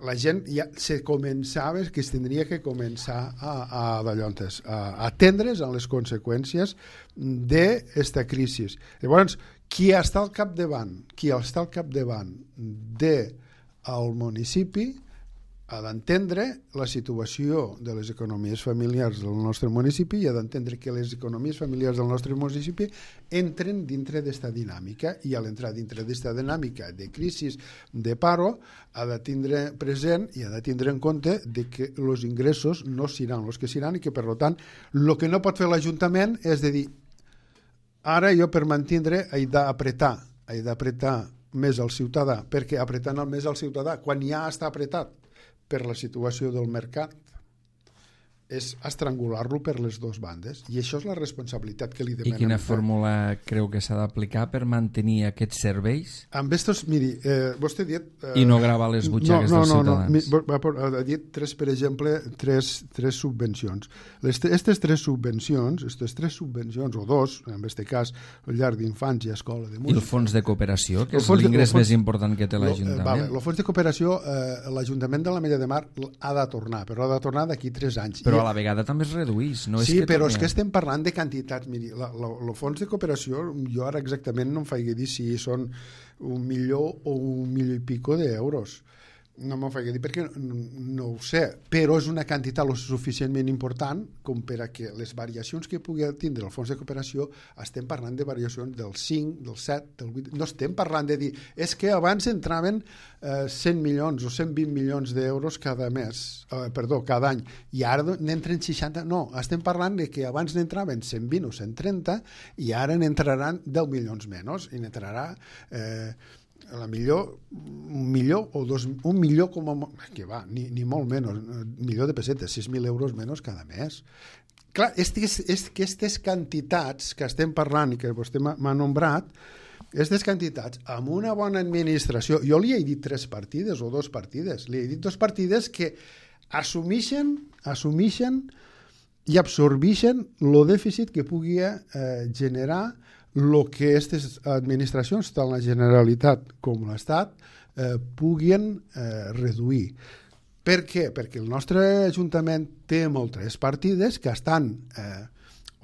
la gent ja se començava, que es tindria que començar a, a, d'allontes, a atendre's a les conseqüències d'aquesta crisi. Llavors, qui està al capdavant, qui està al capdavant del municipi ha d'entendre la situació de les economies familiars del nostre municipi i ha d'entendre que les economies familiars del nostre municipi entren dintre d'esta dinàmica i a l'entrar dintre d'esta dinàmica de crisi, de paro, ha de tindre present i ha de tindre en compte de que els ingressos no seran els que seran i que, per tant, el que no pot fer l'Ajuntament és de dir ara jo per mantindre he d'apretar, he d'apretar més al ciutadà, perquè apretant el més al ciutadà, quan ja està apretat per la situació del mercat, és estrangular-lo per les dues bandes. I això és la responsabilitat que li demanem. I quina fórmula creu que s'ha d'aplicar per mantenir aquests serveis? Amb estos, miri, eh, vostè ha dit... Eh, I no gravar les butxaques no, no, dels ciutadans. No, no, ha dit tres, per exemple, tres, tres subvencions. Aquestes tres subvencions, aquestes tres subvencions, o dos, en aquest cas, el llar d'infants i escola de música... I el fons de cooperació, que és l'ingrés més important que té l'Ajuntament? Vale, el fons de cooperació, eh, l'Ajuntament de l'Ametlla de Mar ha de tornar, però ha de tornar d'aquí tres anys. Però a la vegada també es redueix. No sí, és que però torni... és que estem parlant de quantitats. Miri, el fons de cooperació, jo ara exactament no em faig dir si són un milió o un milió i pico d'euros. No m'ho faig dir perquè no ho sé, però és una quantitat lo suficientment important com per a que les variacions que pugui tindre el fons de cooperació, estem parlant de variacions del cinc, del set, del vuit... No estem parlant de dir, és que abans entraven eh, cent milions o cent vint milions d'euros cada mes, eh, perdó, cada any, i ara n'entren seixanta... No, estem parlant de que abans n'entraven cent vint o cent trenta i ara n'entraran deu milions menys, i n'entrarà... Eh, a la millor un milió o dos, un milió com a, que va, ni, ni molt menys, un milió de pessetes, sis mil euros menys cada mes. Clar, és que aquestes quantitats que estem parlant i que vostè m'ha nombrat, aquestes quantitats, amb una bona administració, jo li he dit tres partides o dos partides, li he dit dos partides que assumixen, assumixen i absorbixen el dèficit que pugui eh, generar el que aquestes administracions, tant la Generalitat com l'Estat, eh, puguin eh, reduir. Per què? Perquè el nostre Ajuntament té moltes partides que estan, eh,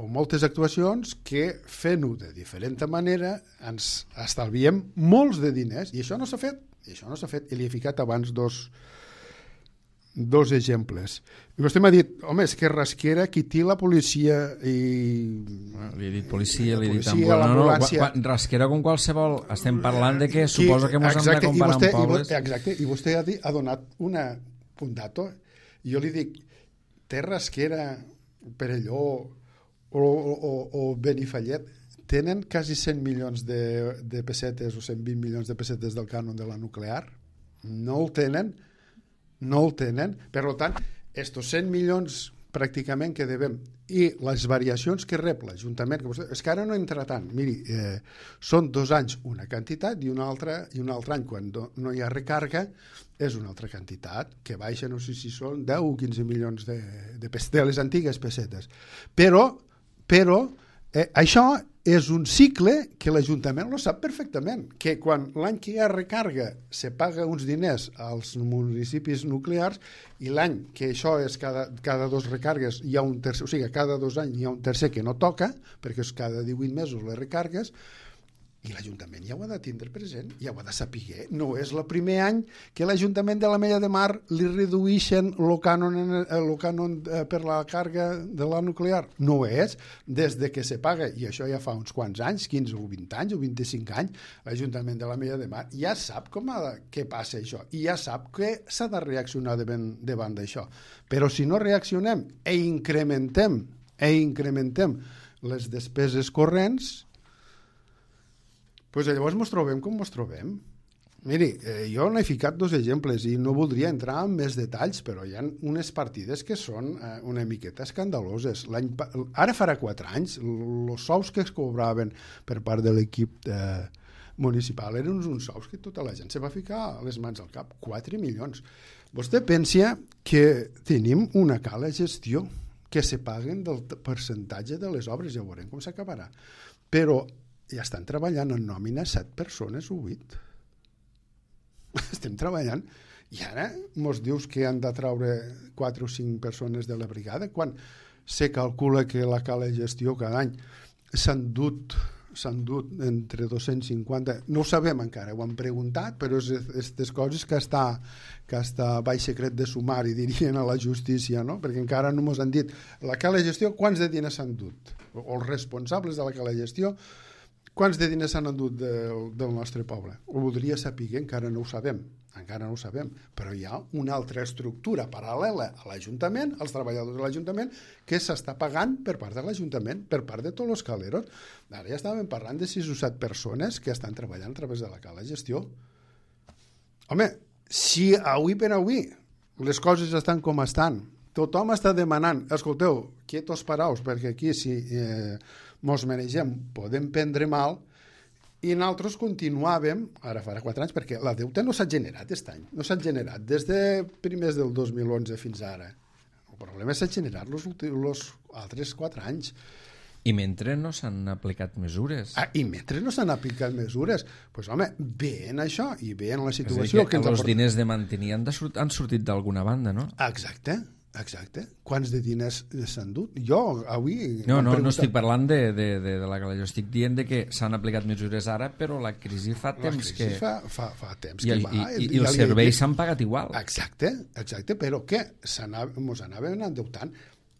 o moltes actuacions que fent-ho de diferent manera ens estalviem molts de diners, i això no s'ha fet, i això no s'ha fet, i li he ficat abans dos dos exemples. I vostè m'ha dit, home, és que Rasquera qui té la policia i... Li he dit policia, li he dit policia, ambulància. No, no, Rasquera com qualsevol. Estem parlant de que suposa que ens hem de comparar amb pobles. Exacte, i vostè ha, dit, ha donat una, un dato. Jo li dic, té Rasquera, Perelló o, o, o Benifallet tenen quasi cent milions de, de pessetes o cent vint milions de pessetes del cànon de la nuclear? No el tenen. No el tenen, per tant, estos cent milions pràcticament que devem i les variacions que rep l'Ajuntament, que vostè, és que ara no entra tant, miri, eh, són dos anys una quantitat i un altre, i un altre any quan no hi ha recàrrega és una altra quantitat, que baixa, no sé si són deu o quinze milions de, de, de les antigues pessetes. Però, però Eh, això és un cicle que l'Ajuntament lo sap perfectament, que quan l'any que hi ha recarga se paga uns diners als municipis nuclears i l'any que això és cada, cada dos recargues hi ha un tercer, o sigui, cada dos anys hi ha un tercer que no toca, perquè és cada divuit mesos les recargues, i l'Ajuntament ja ho ha de tindre present, ja ho ha de saber. No és el primer any que l'Ajuntament de la Mella de Mar li reduïxen el cànon, el cànon per la càrrega de la nuclear. No és. Des de que se paga, i això ja fa uns quants anys, quinze o vint anys o vint-i-cinc anys, l'Ajuntament de la Mella de Mar ja sap com ha de, què passa això, i ja sap que s'ha de reaccionar davant, davant d'això. Però si no reaccionem e incrementem, e incrementem les despeses corrents, pues llavors ens trobem com ens trobem. Miri, eh, jo n'he ficat dos exemples i no voldria entrar en més detalls, però hi ha unes partides que són eh, una miqueta escandaloses. Ara farà quatre anys, els sous que es cobraven per part de l'equip eh, municipal eren uns, uns sous que tota la gent se va ficar les mans al cap. quatre milions. Vostè pensa que tenim una cala gestió que se paguen del percentatge de les obres, ja veurem com s'acabarà. Però ja estan treballant en nòmina set persones o vuit. Estem treballant i ara mos dius que han de traure quatre o cinc persones de la brigada quan se calcula que la cala de gestió cada any s'han dut s'han dut entre dos-cents cinquanta, no ho sabem encara, ho hem preguntat, però és aquestes coses que està, que està baix secret de sumari, dirien a la justícia, no? Perquè encara no mos han dit la cala de gestió, quants de diners s'han dut? O els responsables de la cala de gestió, quants de diners s'han endut del, del nostre poble? Ho voldria saber, encara no ho sabem, encara no ho sabem, però hi ha una altra estructura paral·lela a l'Ajuntament, als treballadors de l'Ajuntament, que s'està pagant per part de l'Ajuntament, per part de tots els caleros. Ara ja estàvem parlant de sis o set persones que estan treballant a través de la cala de gestió. Home, si avui per avui les coses estan com estan, tothom està demanant, escolteu, quietos paraos, perquè aquí si eh, mos manegem podem prendre mal, i nosaltres continuàvem, ara farà quatre anys, perquè la deuta no s'ha generat aquest any, no s'ha generat des de primers del dos mil onze fins ara. El problema s'ha generat els altres quatre anys. I mentre no s'han aplicat mesures. Ah, I mentre no s'han aplicat mesures. Doncs, pues, home, bé en això i bé en la situació. És a dir, que els diners de mantenir han, de sort, han sortit d'alguna banda, no? Exacte, exacte. Quants de diners s'han dut? Jo, avui... No, no, no estic parlant de, de, de, de la cala. Jo estic dient de que s'han aplicat mesures ara, però la crisi fa temps la crisi que... fa, fa, fa temps I, que el, va. I, i, i els serveis s'han pagat igual. Exacte, exacte, però què? Mos anàvem endeutant.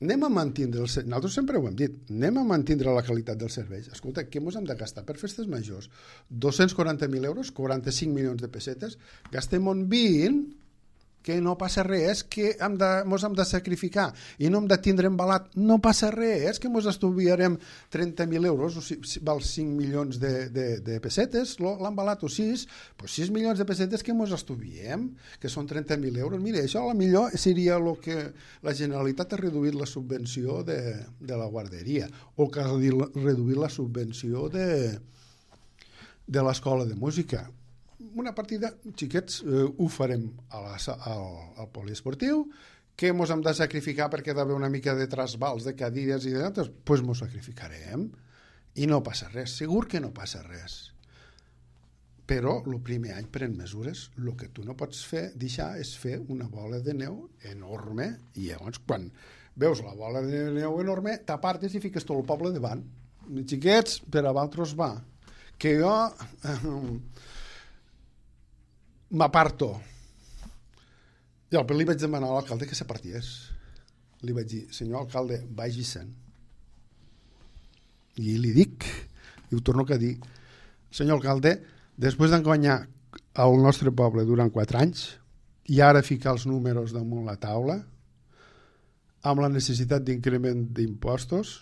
Anem a mantindre, el, nosaltres sempre ho hem dit, anem a mantindre la qualitat dels serveis. Escolta, què ens hem de gastar per festes majors? dos-cents quaranta mil euros, quaranta-cinc milions de pessetes, gastem un vint, que no passa res, que hem de, mos hem de sacrificar i no hem de tindre embalat, no passa res, que mos estuviarem trenta mil euros, o si, val cinc milions de, de, de pessetes, l'embalat o sis, doncs sis milions de pessetes que mos estuviem, que són trenta mil euros. Mira, això a la millor seria el que la Generalitat ha reduït la subvenció de, de la guarderia, o que ha reduït la subvenció de, de l'escola de música. Una partida, xiquets, eh, ho farem a la, al, al poliesportiu, que mos hem de sacrificar perquè hi ha d'haver una mica de trasbals de cadires i d'altres, doncs pues mos sacrificarem i no passa res, segur que no passa res. Però el primer any pren mesures, el que tu no pots fer, deixar, és fer una bola de neu enorme, i llavors quan veus la bola de neu enorme, t'apartes i fiques tot el poble davant. Xiquets, per a vosaltres va. Que jo... Eh, m'aparto. I al li vaig demanar a l'alcalde que s'aparties. Li vaig dir, senyor alcalde, vagi-se'n. I li dic, i ho torno a dir, senyor alcalde, després d'enganyar al nostre poble durant quatre anys, i ara ficar els números damunt la taula, amb la necessitat d'increment d'impostos,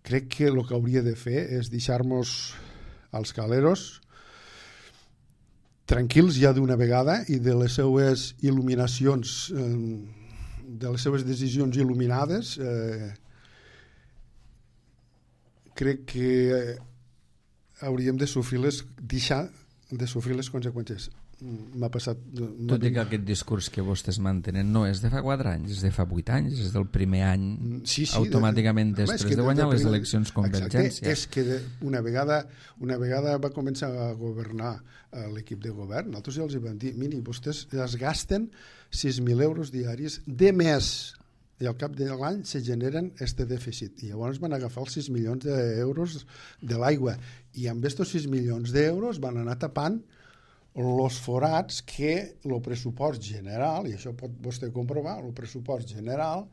crec que el que hauria de fer és deixar-nos als caleros tranquils ja d'una vegada i de les seues il·luminacions, eh, de les seues decisions il·luminades, eh, crec que hauríem de sofrir les, deixar de sofrir les conseqüències. m'ha passat... No Tot i que aquest discurs que vostès mantenen no és de fa quatre anys, és de fa vuit anys, és del primer any, sí, sí, automàticament de, després de, de guanyar de, de, les eleccions Convergència. Exacte, és que de, una, vegada, una vegada va començar a governar uh, l'equip de govern, nosaltres ja els hi vam dir, miri, vostès es gasten sis mil euros diaris de més, i al cap de l'any se generen este dèficit, i llavors van agafar els sis milions d'euros de l'aigua, i amb estos sis milions d'euros van anar tapant els forats que el pressupost general, i això pot vostè comprovar, el pressupost general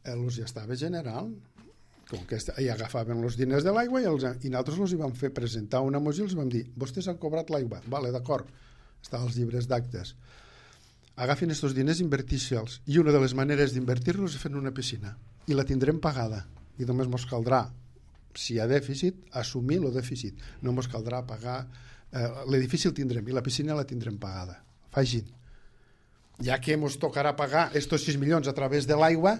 els ja estava generant, com que hi agafaven els diners de l'aigua i, els, i nosaltres els hi vam fer presentar una moció i els vam dir, vostès han cobrat l'aigua, vale, d'acord, està als llibres d'actes, agafin aquests diners i invertir-se'ls, i una de les maneres d'invertir-los és fent una piscina, i la tindrem pagada, i només ens caldrà, si hi ha dèficit, assumir el dèficit, no ens caldrà pagar. Uh, l'edifici el tindrem i la piscina la tindrem pagada. Fagin. Ja que ens tocarà pagar estos sis milions a través de l'aigua,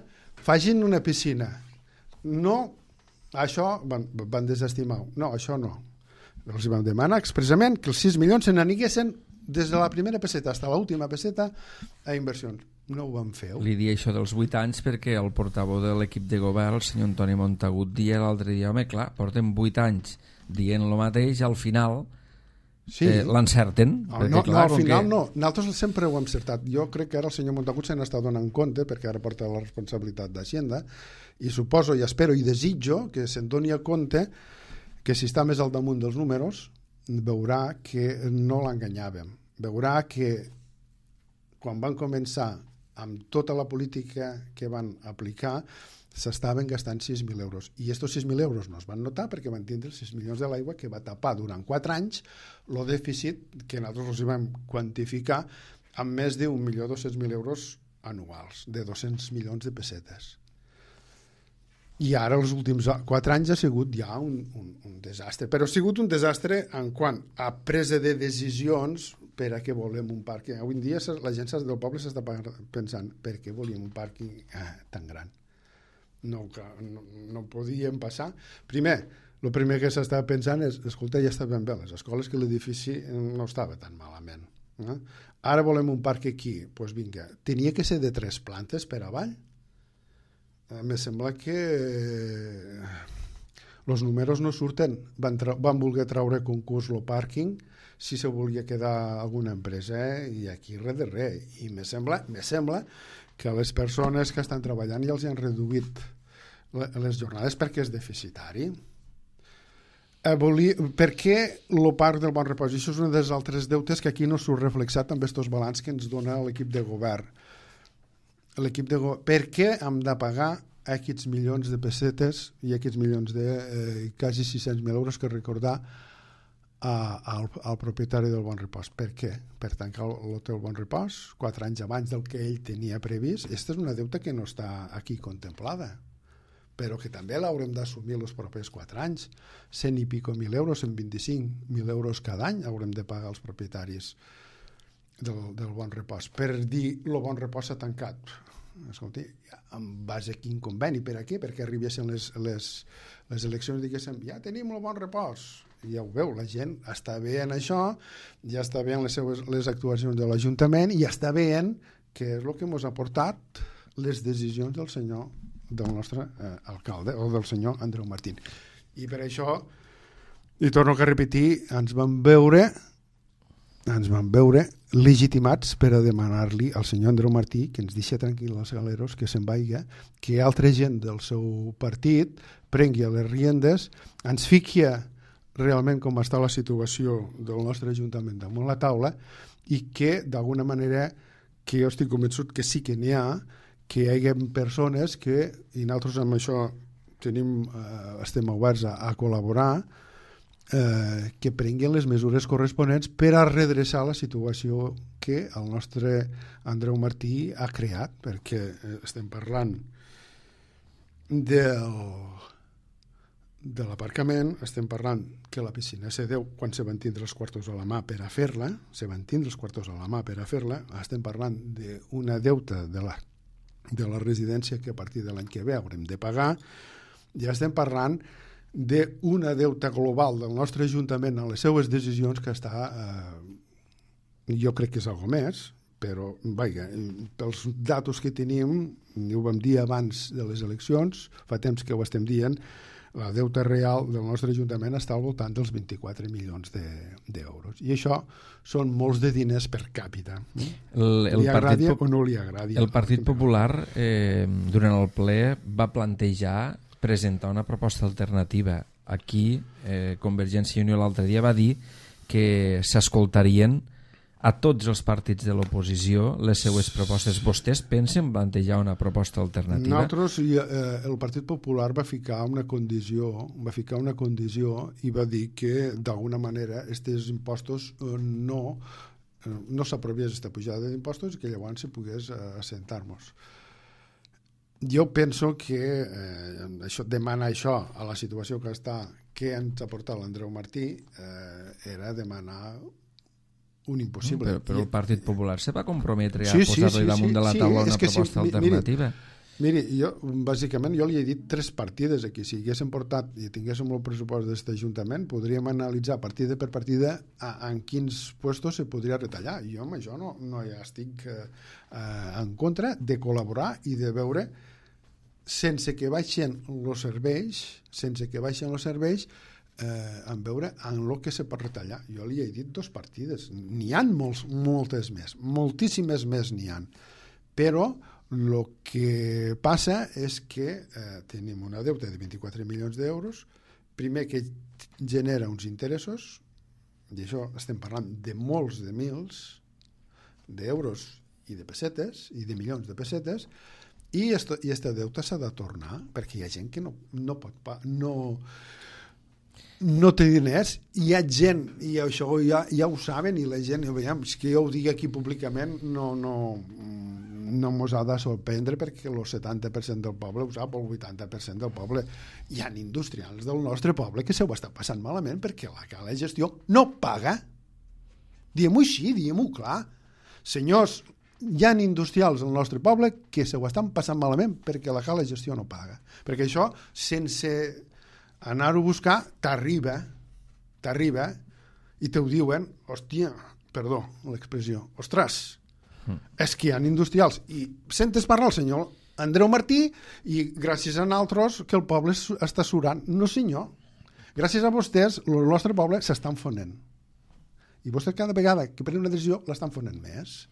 fagin una piscina. No, això van, van desestimar. No, això no. Els vam demanar expressament que els sis milions se n'aniguessin des de la primera peseta fins a l'última peseta a inversions. No ho vam fer. Li dia això dels vuit anys perquè el portaveu de l'equip de govern, el senyor Antoni Montagut, dia l'altre dia, home, clar, portem vuit anys dient el mateix, al final... Sí. Eh, l'encerten? No, no, clar, no, al final que... no, nosaltres sempre ho hem encertat. Jo crec que ara el senyor Montagut se n'està donant compte, perquè ara porta la responsabilitat d'Hacienda, i suposo i espero i desitjo que se'n doni a compte que si està més al damunt dels números veurà que no l'enganyàvem, veurà que quan van començar amb tota la política que van aplicar s'estaven gastant sis mil euros. I estos sis mil euros no es van notar perquè van tindre els sis milions de l'aigua que va tapar durant quatre anys el dèficit que nosaltres els vam quantificar amb més d'un milió dos-cents mil euros anuals, de dos-cents milions de pessetes. I ara els últims quatre anys ha sigut ja un, un, un desastre. Però ha sigut un desastre en quant a presa de decisions per a què volem un pàrquing. Avui en dia la gent del poble s'està pensant per què volíem un pàrquing eh, tan gran. No, no, no podíem passar. Primer, el primer que s'estava pensant és, escolta, ja estaven bé les escoles, que l'edifici no estava tan malament. Eh? Ara volem un parc aquí. Doncs pues vinga, tenia que ser de tres plantes per avall. Eh, me sembla que els números no surten. Van, van voler treure concurs el pàrquing si se volia quedar alguna empresa, eh? I aquí res de res. I me sembla, me sembla que les persones que estan treballant ja els han reduït les jornades perquè és deficitari. Eh, volia, per què el parc del Bon Repòs? I això és un dels altres deutes que aquí no surt reflexat amb aquests balanç que ens dona l'equip de govern. L'equip de govern. Per què hem de pagar aquests milions de pessetes i aquests milions de eh, quasi sis-cents mil euros que recordar a, al, al propietari del Bon Repòs? Per què? Per tancar l'hotel Bon Repòs quatre anys abans del que ell tenia previst. Aquesta és una deuta que no està aquí contemplada, però que també l'haurem d'assumir els propers quatre anys. Cent i pico mil euros, cent vint-i-cinc mil euros cada any haurem de pagar als propietaris del, del Bon Repòs. Per dir, el Bon Repòs s'ha tancat. Escolti, en base a quin conveni? Per a què? Perquè arribessin les, les, les eleccions i diguéssim, ja tenim el Bon Repòs. I ja ho veu, la gent està veient això, ja està veient les, seues, les actuacions de l'Ajuntament i ja està veient que és el que ens ha portat les decisions del senyor, del nostre eh, alcalde, o del senyor Andreu Martín. I per això, i torno a repetir, ens van veure ens van veure legitimats per a demanar-li al senyor Andreu Martí que ens deixi tranquil als galeros, que se'n vaiga, que altra gent del seu partit prengui les riendes, ens fiqui realment com està la situació del nostre Ajuntament damunt la taula i que d'alguna manera, que jo estic convençut que sí que n'hi ha, que hi hagi persones que, i nosaltres amb això tenim, eh, estem oberts a, a col·laborar, eh, que prenguin les mesures corresponents per a redreçar la situació que el nostre Andreu Martí ha creat, perquè estem parlant del, de l'aparcament, estem parlant que la piscina se deu quan se van tindre els quartos a la mà per a fer-la, se van tindre els quartos a la mà per a fer-la, estem parlant d'una deuta de la, de la residència que a partir de l'any que ve haurem de pagar, ja estem parlant d'una deuta global del nostre Ajuntament en les seues decisions que està eh, jo crec que és algo més, però, vaja, pels datos que tenim, ho vam dir abans de les eleccions, fa temps que ho estem dient, la deuta real del nostre Ajuntament està al voltant dels vint-i-quatre milions d'euros. I això són molts de diners per càpita. El, el li agradi Partit, o no li agradi. El Partit Popular, eh, durant el ple, va plantejar presentar una proposta alternativa. Aquí, eh, Convergència i Unió l'altre dia va dir que s'escoltarien a tots els partits de l'oposició les seues propostes. Vostès pensen plantejar una proposta alternativa? Nosaltres, eh, el Partit Popular va ficar una condició, va ficar una condició i va dir que d'alguna manera aquests impostos eh, no, eh, no s'aprovés aquesta pujada d'impostos i que llavors se pogués eh, assentar-nos. Jo penso que eh, això, demanar això a la situació que està, que ens ha portat l'Andreu Martí, eh, era demanar un impossible. Però, però el Partit Popular se va comprometre a sí, posar-li sí, sí, damunt sí, de la taula sí, una proposta sí, alternativa. Miri, miri, jo, bàsicament, jo li he dit tres partides aquí. Si haguéssim portat i tinguéssim el pressupost d'aquest Ajuntament, podríem analitzar partida per partida a, en quins puestos se podria retallar. I jo amb això no, no ja estic eh, en contra de col·laborar i de veure, sense que baixen els serveis, sense que baixen els serveis, eh, en veure en el que se pot retallar. Jo li he dit dos partides, n'hi ha molts, moltes més, moltíssimes més n'hi ha, però el que passa és que eh, tenim una deuta de vint-i-quatre milions d'euros, primer que genera uns interessos, i això estem parlant de molts de mils d'euros i de pessetes, i de milions de pessetes, i aquesta deuta s'ha de tornar, perquè hi ha gent que no, no pot... no no té diners, hi ha gent, i això ja, ja ho saben, i la gent, veiem, que jo ho digui aquí públicament, no, no, no mos ha de sorprendre, perquè el setanta per cent del poble ho sap, el vuitanta per cent del poble. Hi ha industrials del nostre poble que se ho està passant malament perquè la cala de gestió no paga. Diguem-ho així, diguem-ho clar. Senyors, hi ha industrials al nostre poble que se ho estan passant malament perquè la cala de gestió no paga. Perquè això, sense anar-ho a buscar, t'arriba, t'arriba, i te ho diuen, hòstia, perdó, l'expressió, ostres, mm. és que hi ha industrials. I sentes parlar el senyor Andreu Martí i gràcies a nosaltres que el poble està surant. No, senyor. Gràcies a vostès, el nostre poble s'està enfonent. I vostès cada vegada que prenen una decisió l'estan fonent més.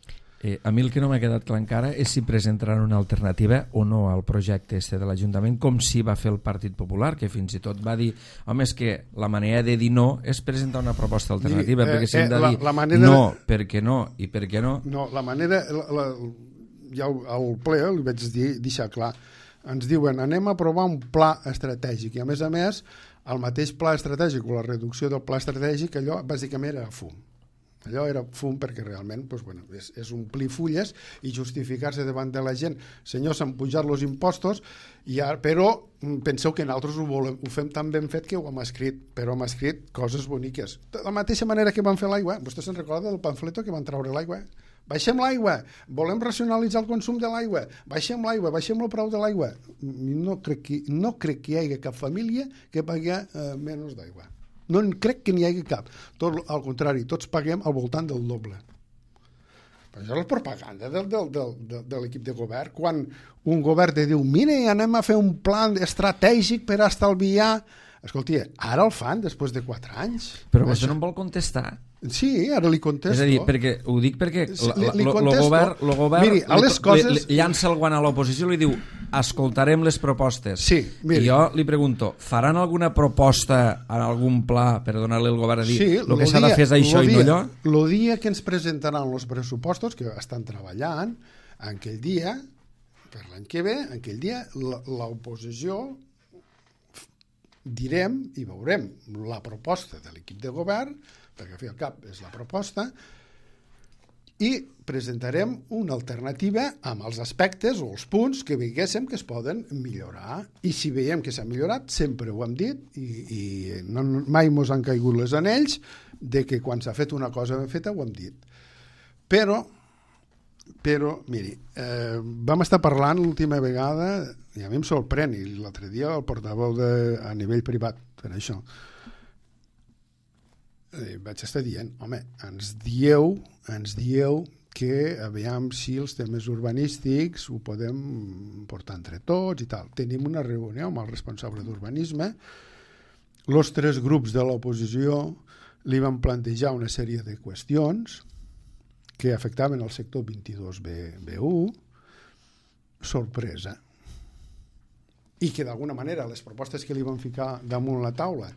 Eh, a mi el que no m'ha quedat clar encara és si presentaran una alternativa o no al projecte este de l'Ajuntament, com si va fer el Partit Popular, que fins i tot va dir, home, és que la manera de dir no és presentar una proposta alternativa, I, eh, perquè si hem de eh, dir la, la manera... no, perquè no, i per què no... No, la manera... La, la, ja al ple li vaig dir, deixar clar, ens diuen, anem a aprovar un pla estratègic, i a més a més, el mateix pla estratègic o la reducció del pla estratègic, allò bàsicament era fum. Allò era fum perquè realment doncs, bueno, és, és omplir fulles i justificar-se davant de la gent. Senyors, s'han pujat els impostos, i ara, però penseu que nosaltres ho, volem, ho fem tan ben fet que ho hem escrit, però hem escrit coses boniques. De la mateixa manera que van fer l'aigua, vostè se'n recorda del pamfleto que van treure l'aigua? Baixem l'aigua, volem racionalitzar el consum de l'aigua, baixem l'aigua, baixem el preu de l'aigua. No crec que, no crec que hi hagi cap família que pagui eh, menys d'aigua. No crec que n'hi hagi cap. Tot al contrari, tots paguem al voltant del doble. Però això és la propaganda del, del, del, del, de l'equip de govern. Quan un govern te diu, mira, anem a fer un plan estratègic per estalviar... Escolti, ara el fan després de quatre anys. Però vostè no em vol contestar. Sí, ara li contesto. És a dir, perquè, ho dic perquè el govern, lo govern miri, a les li, coses... li, li llança el guant a l'oposició i li diu escoltarem les propostes. Sí, miri. I jo li pregunto, faran alguna proposta en algun pla per donar-li al govern a dir sí, el que s'ha de fer és això i no allò? El dia que ens presentaran els pressupostos, que estan treballant, en aquell dia, per l'any que ve, en aquell dia, l'oposició direm i veurem la proposta de l'equip de govern, perquè al fi al cap és la proposta, i presentarem una alternativa amb els aspectes o els punts que veiéssim que es poden millorar. I si veiem que s'ha millorat, sempre ho hem dit, i, i no, mai mos han caigut les anells de que quan s'ha fet una cosa ben feta ho hem dit. Però, però miri, eh, vam estar parlant l'última vegada, i a mi em sorprèn, i l'altre dia el portaveu de, a nivell privat per això, eh, vaig estar dient, home, ens dieu, ens dieu que aviam si els temes urbanístics ho podem portar entre tots i tal. Tenim una reunió amb el responsable d'urbanisme, els tres grups de l'oposició li van plantejar una sèrie de qüestions que afectaven el sector vint-i-dos B u, sorpresa. I que d'alguna manera les propostes que li van ficar damunt la taula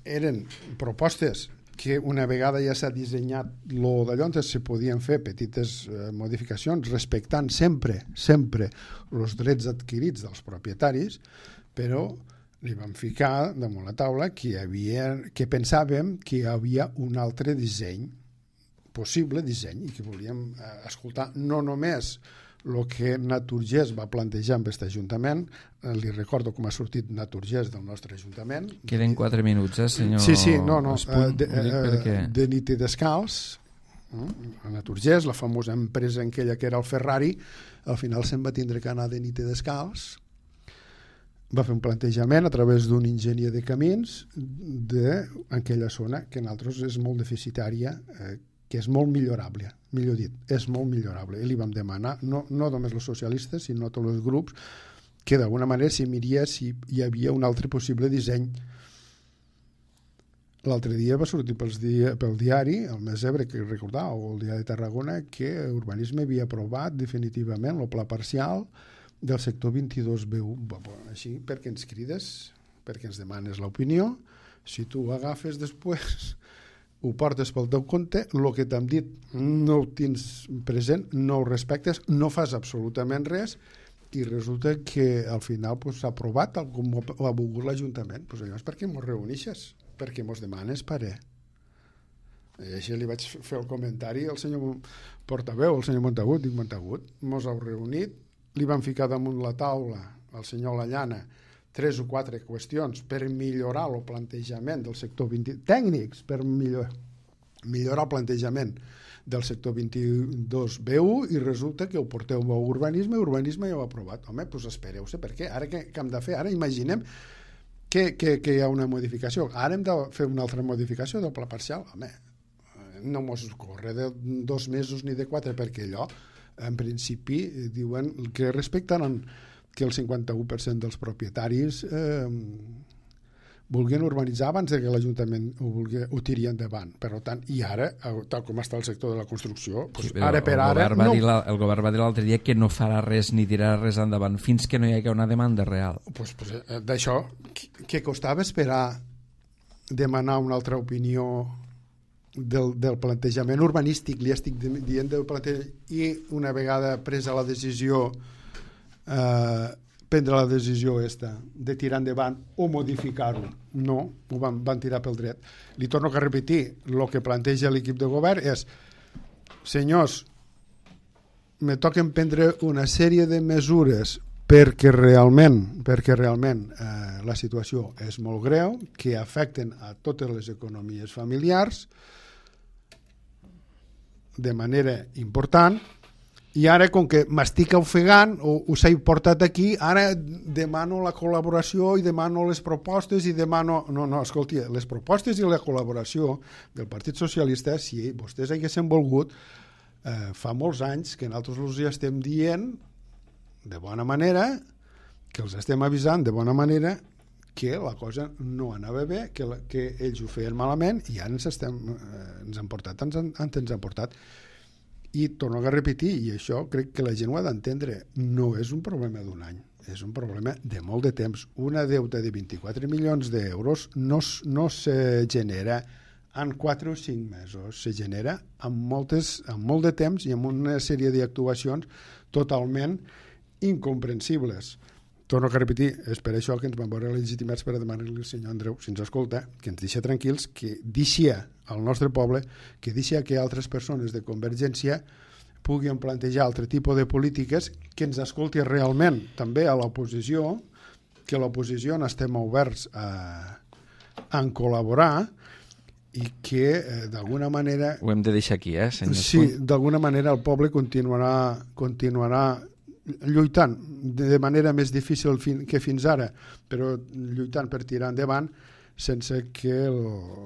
eren propostes que una vegada ja s'ha dissenyat lo d'allò, se podien fer petites eh, modificacions respectant sempre, sempre els drets adquirits dels propietaris, però li vam ficar damunt la taula que, hi havia, que pensàvem que hi havia un altre disseny, possible disseny, i que volíem eh, escoltar no només el que Naturgés va plantejar amb aquest Ajuntament. Eh, li recordo com ha sortit Naturgés del nostre Ajuntament. Queden quatre minuts, eh, senyor? Sí, sí, no, no. Espuny, de, perquè... de nit i descalç, eh, a Naturgés, la famosa empresa en aquella que era el Ferrari, al final se'n va tindre que anar de nit i descalç. Va fer un plantejament a través d'un enginyer de camins d'aquella zona que en altres és molt deficitària, eh, que és molt millorable, millor dit, és molt millorable. I li vam demanar, no, no només els socialistes, sinó tots els grups, que d'alguna manera s'hi miria si hi havia un altre possible disseny. L'altre dia va sortir pels dia, pel diari, el Mes Ebre, que recordava, o el diari de Tarragona, que Urbanisme havia aprovat definitivament el pla parcial del sector vint-i-dos B u. Així, perquè ens crides, perquè ens demanes l'opinió, si tu ho agafes després, ho portes pel teu compte, el que t'han dit no ho tens present, no ho respectes, no fas absolutament res, i resulta que al final pues, s'ha aprovat tal com ho ha volgut l'Ajuntament. Pues llavors, per què mos reunixes? Perquè mos demanes parer. I així li vaig fer el comentari al senyor portaveu, al senyor Montagut, dic Montagut, mos heu reunit, li van ficar damunt la taula al senyor Lallana tres o quatre qüestions per millorar el plantejament del sector vint, tècnics per millor, millorar el plantejament del sector vint-i-dos B u, i resulta que ho porteu a urbanisme i urbanisme ja ho ha aprovat. Home, doncs espereu-se, per què? Ara què, què hem de fer? Ara imaginem que, que, que hi ha una modificació. Ara hem de fer una altra modificació del pla parcial. Home, no mos corre de dos mesos ni de quatre, perquè allò, en principi, diuen que respectaran que el cinquanta-u per cent dels propietaris eh, vulguin urbanitzar abans que l'Ajuntament ho, vulgui, ho tiri endavant. Per tant, i ara, tal com està el sector de la construcció, doncs sí, ara per ara... El govern, no... la, el govern va dir l'altre dia que no farà res ni tirarà res endavant fins que no hi hagi una demanda real. Pues, pues, d'això, què costava esperar demanar una altra opinió del, del plantejament urbanístic? Li estic dient del plantejament, i una vegada presa la decisió eh, prendre la decisió esta de tirar endavant o modificar-ho. No, ho van, van tirar pel dret. Li torno a repetir, el que planteja l'equip de govern és: senyors, me toquen prendre una sèrie de mesures perquè realment, perquè realment eh, la situació és molt greu, que afecten a totes les economies familiars de manera important. I ara, com que m'estic ofegant o us he portat aquí, ara demano la col·laboració i demano les propostes i demano... No, no, escolti, les propostes i la col·laboració del Partit Socialista, si vostès haguessin volgut, eh, fa molts anys que nosaltres els ja estem dient de bona manera, que els estem avisant de bona manera que la cosa no anava bé, que, la, que ells ho feien malament, i ara ens, estem, eh, ens han portat, ens han, ens han portat. I torno a repetir, i això crec que la gent ho ha d'entendre, no és un problema d'un any, és un problema de molt de temps. Una deuta de vint-i-quatre milions d'euros no, no se genera en quatre o cinc mesos, se genera amb, moltes, amb molt de temps i amb una sèrie d'actuacions totalment incomprensibles. Torno a repetir, és per això que ens van veure legitimats per a demanar-li al senyor Andreu, si ens escolta, que ens deixa tranquils, que deixa al nostre poble, que deixa que altres persones de Convergència puguin plantejar altre tipus de polítiques, que ens escolti realment també a l'oposició, que l'oposició n'estem oberts a, a col·laborar i que eh, d'alguna manera... Ho hem de deixar aquí, eh, senyor? Sí, d'alguna manera el poble continuarà, continuarà lluitant de manera més difícil fin, que fins ara, però lluitant per tirar endavant sense que el,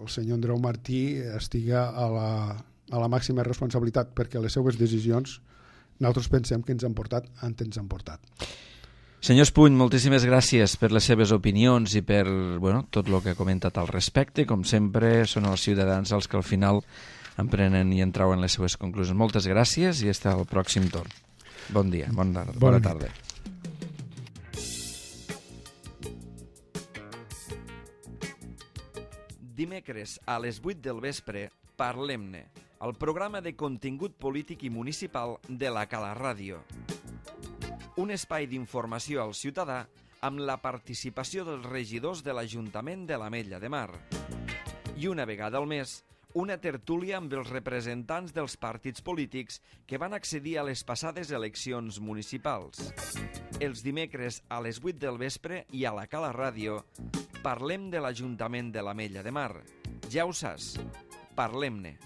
el senyor Andreu Martí estiga a la, a la màxima responsabilitat, perquè les seues decisions nosaltres pensem que ens han portat on ens han portat. Senyor Espuny, moltíssimes gràcies per les seves opinions i per bueno, tot el que ha comentat al respecte. Com sempre, són els ciutadans els que al final emprenen i en trauen les seves conclusions. Moltes gràcies i fins al pròxim torn. Bon dia, bona, bona, bona tarda. Dimecres a les vuit del vespre, Parlem-ne, el programa de contingut polític i municipal de la Cala Ràdio. Un espai d'informació al ciutadà amb la participació dels regidors de l'Ajuntament de l'Ametlla de Mar. I una vegada al mes, una tertúlia amb els representants dels partits polítics que van accedir a les passades eleccions municipals. Els dimecres a les vuit del vespre i a la Cala Ràdio parlem de l'Ajuntament de l'Ametlla de Mar. Ja ho saps, parlem-ne.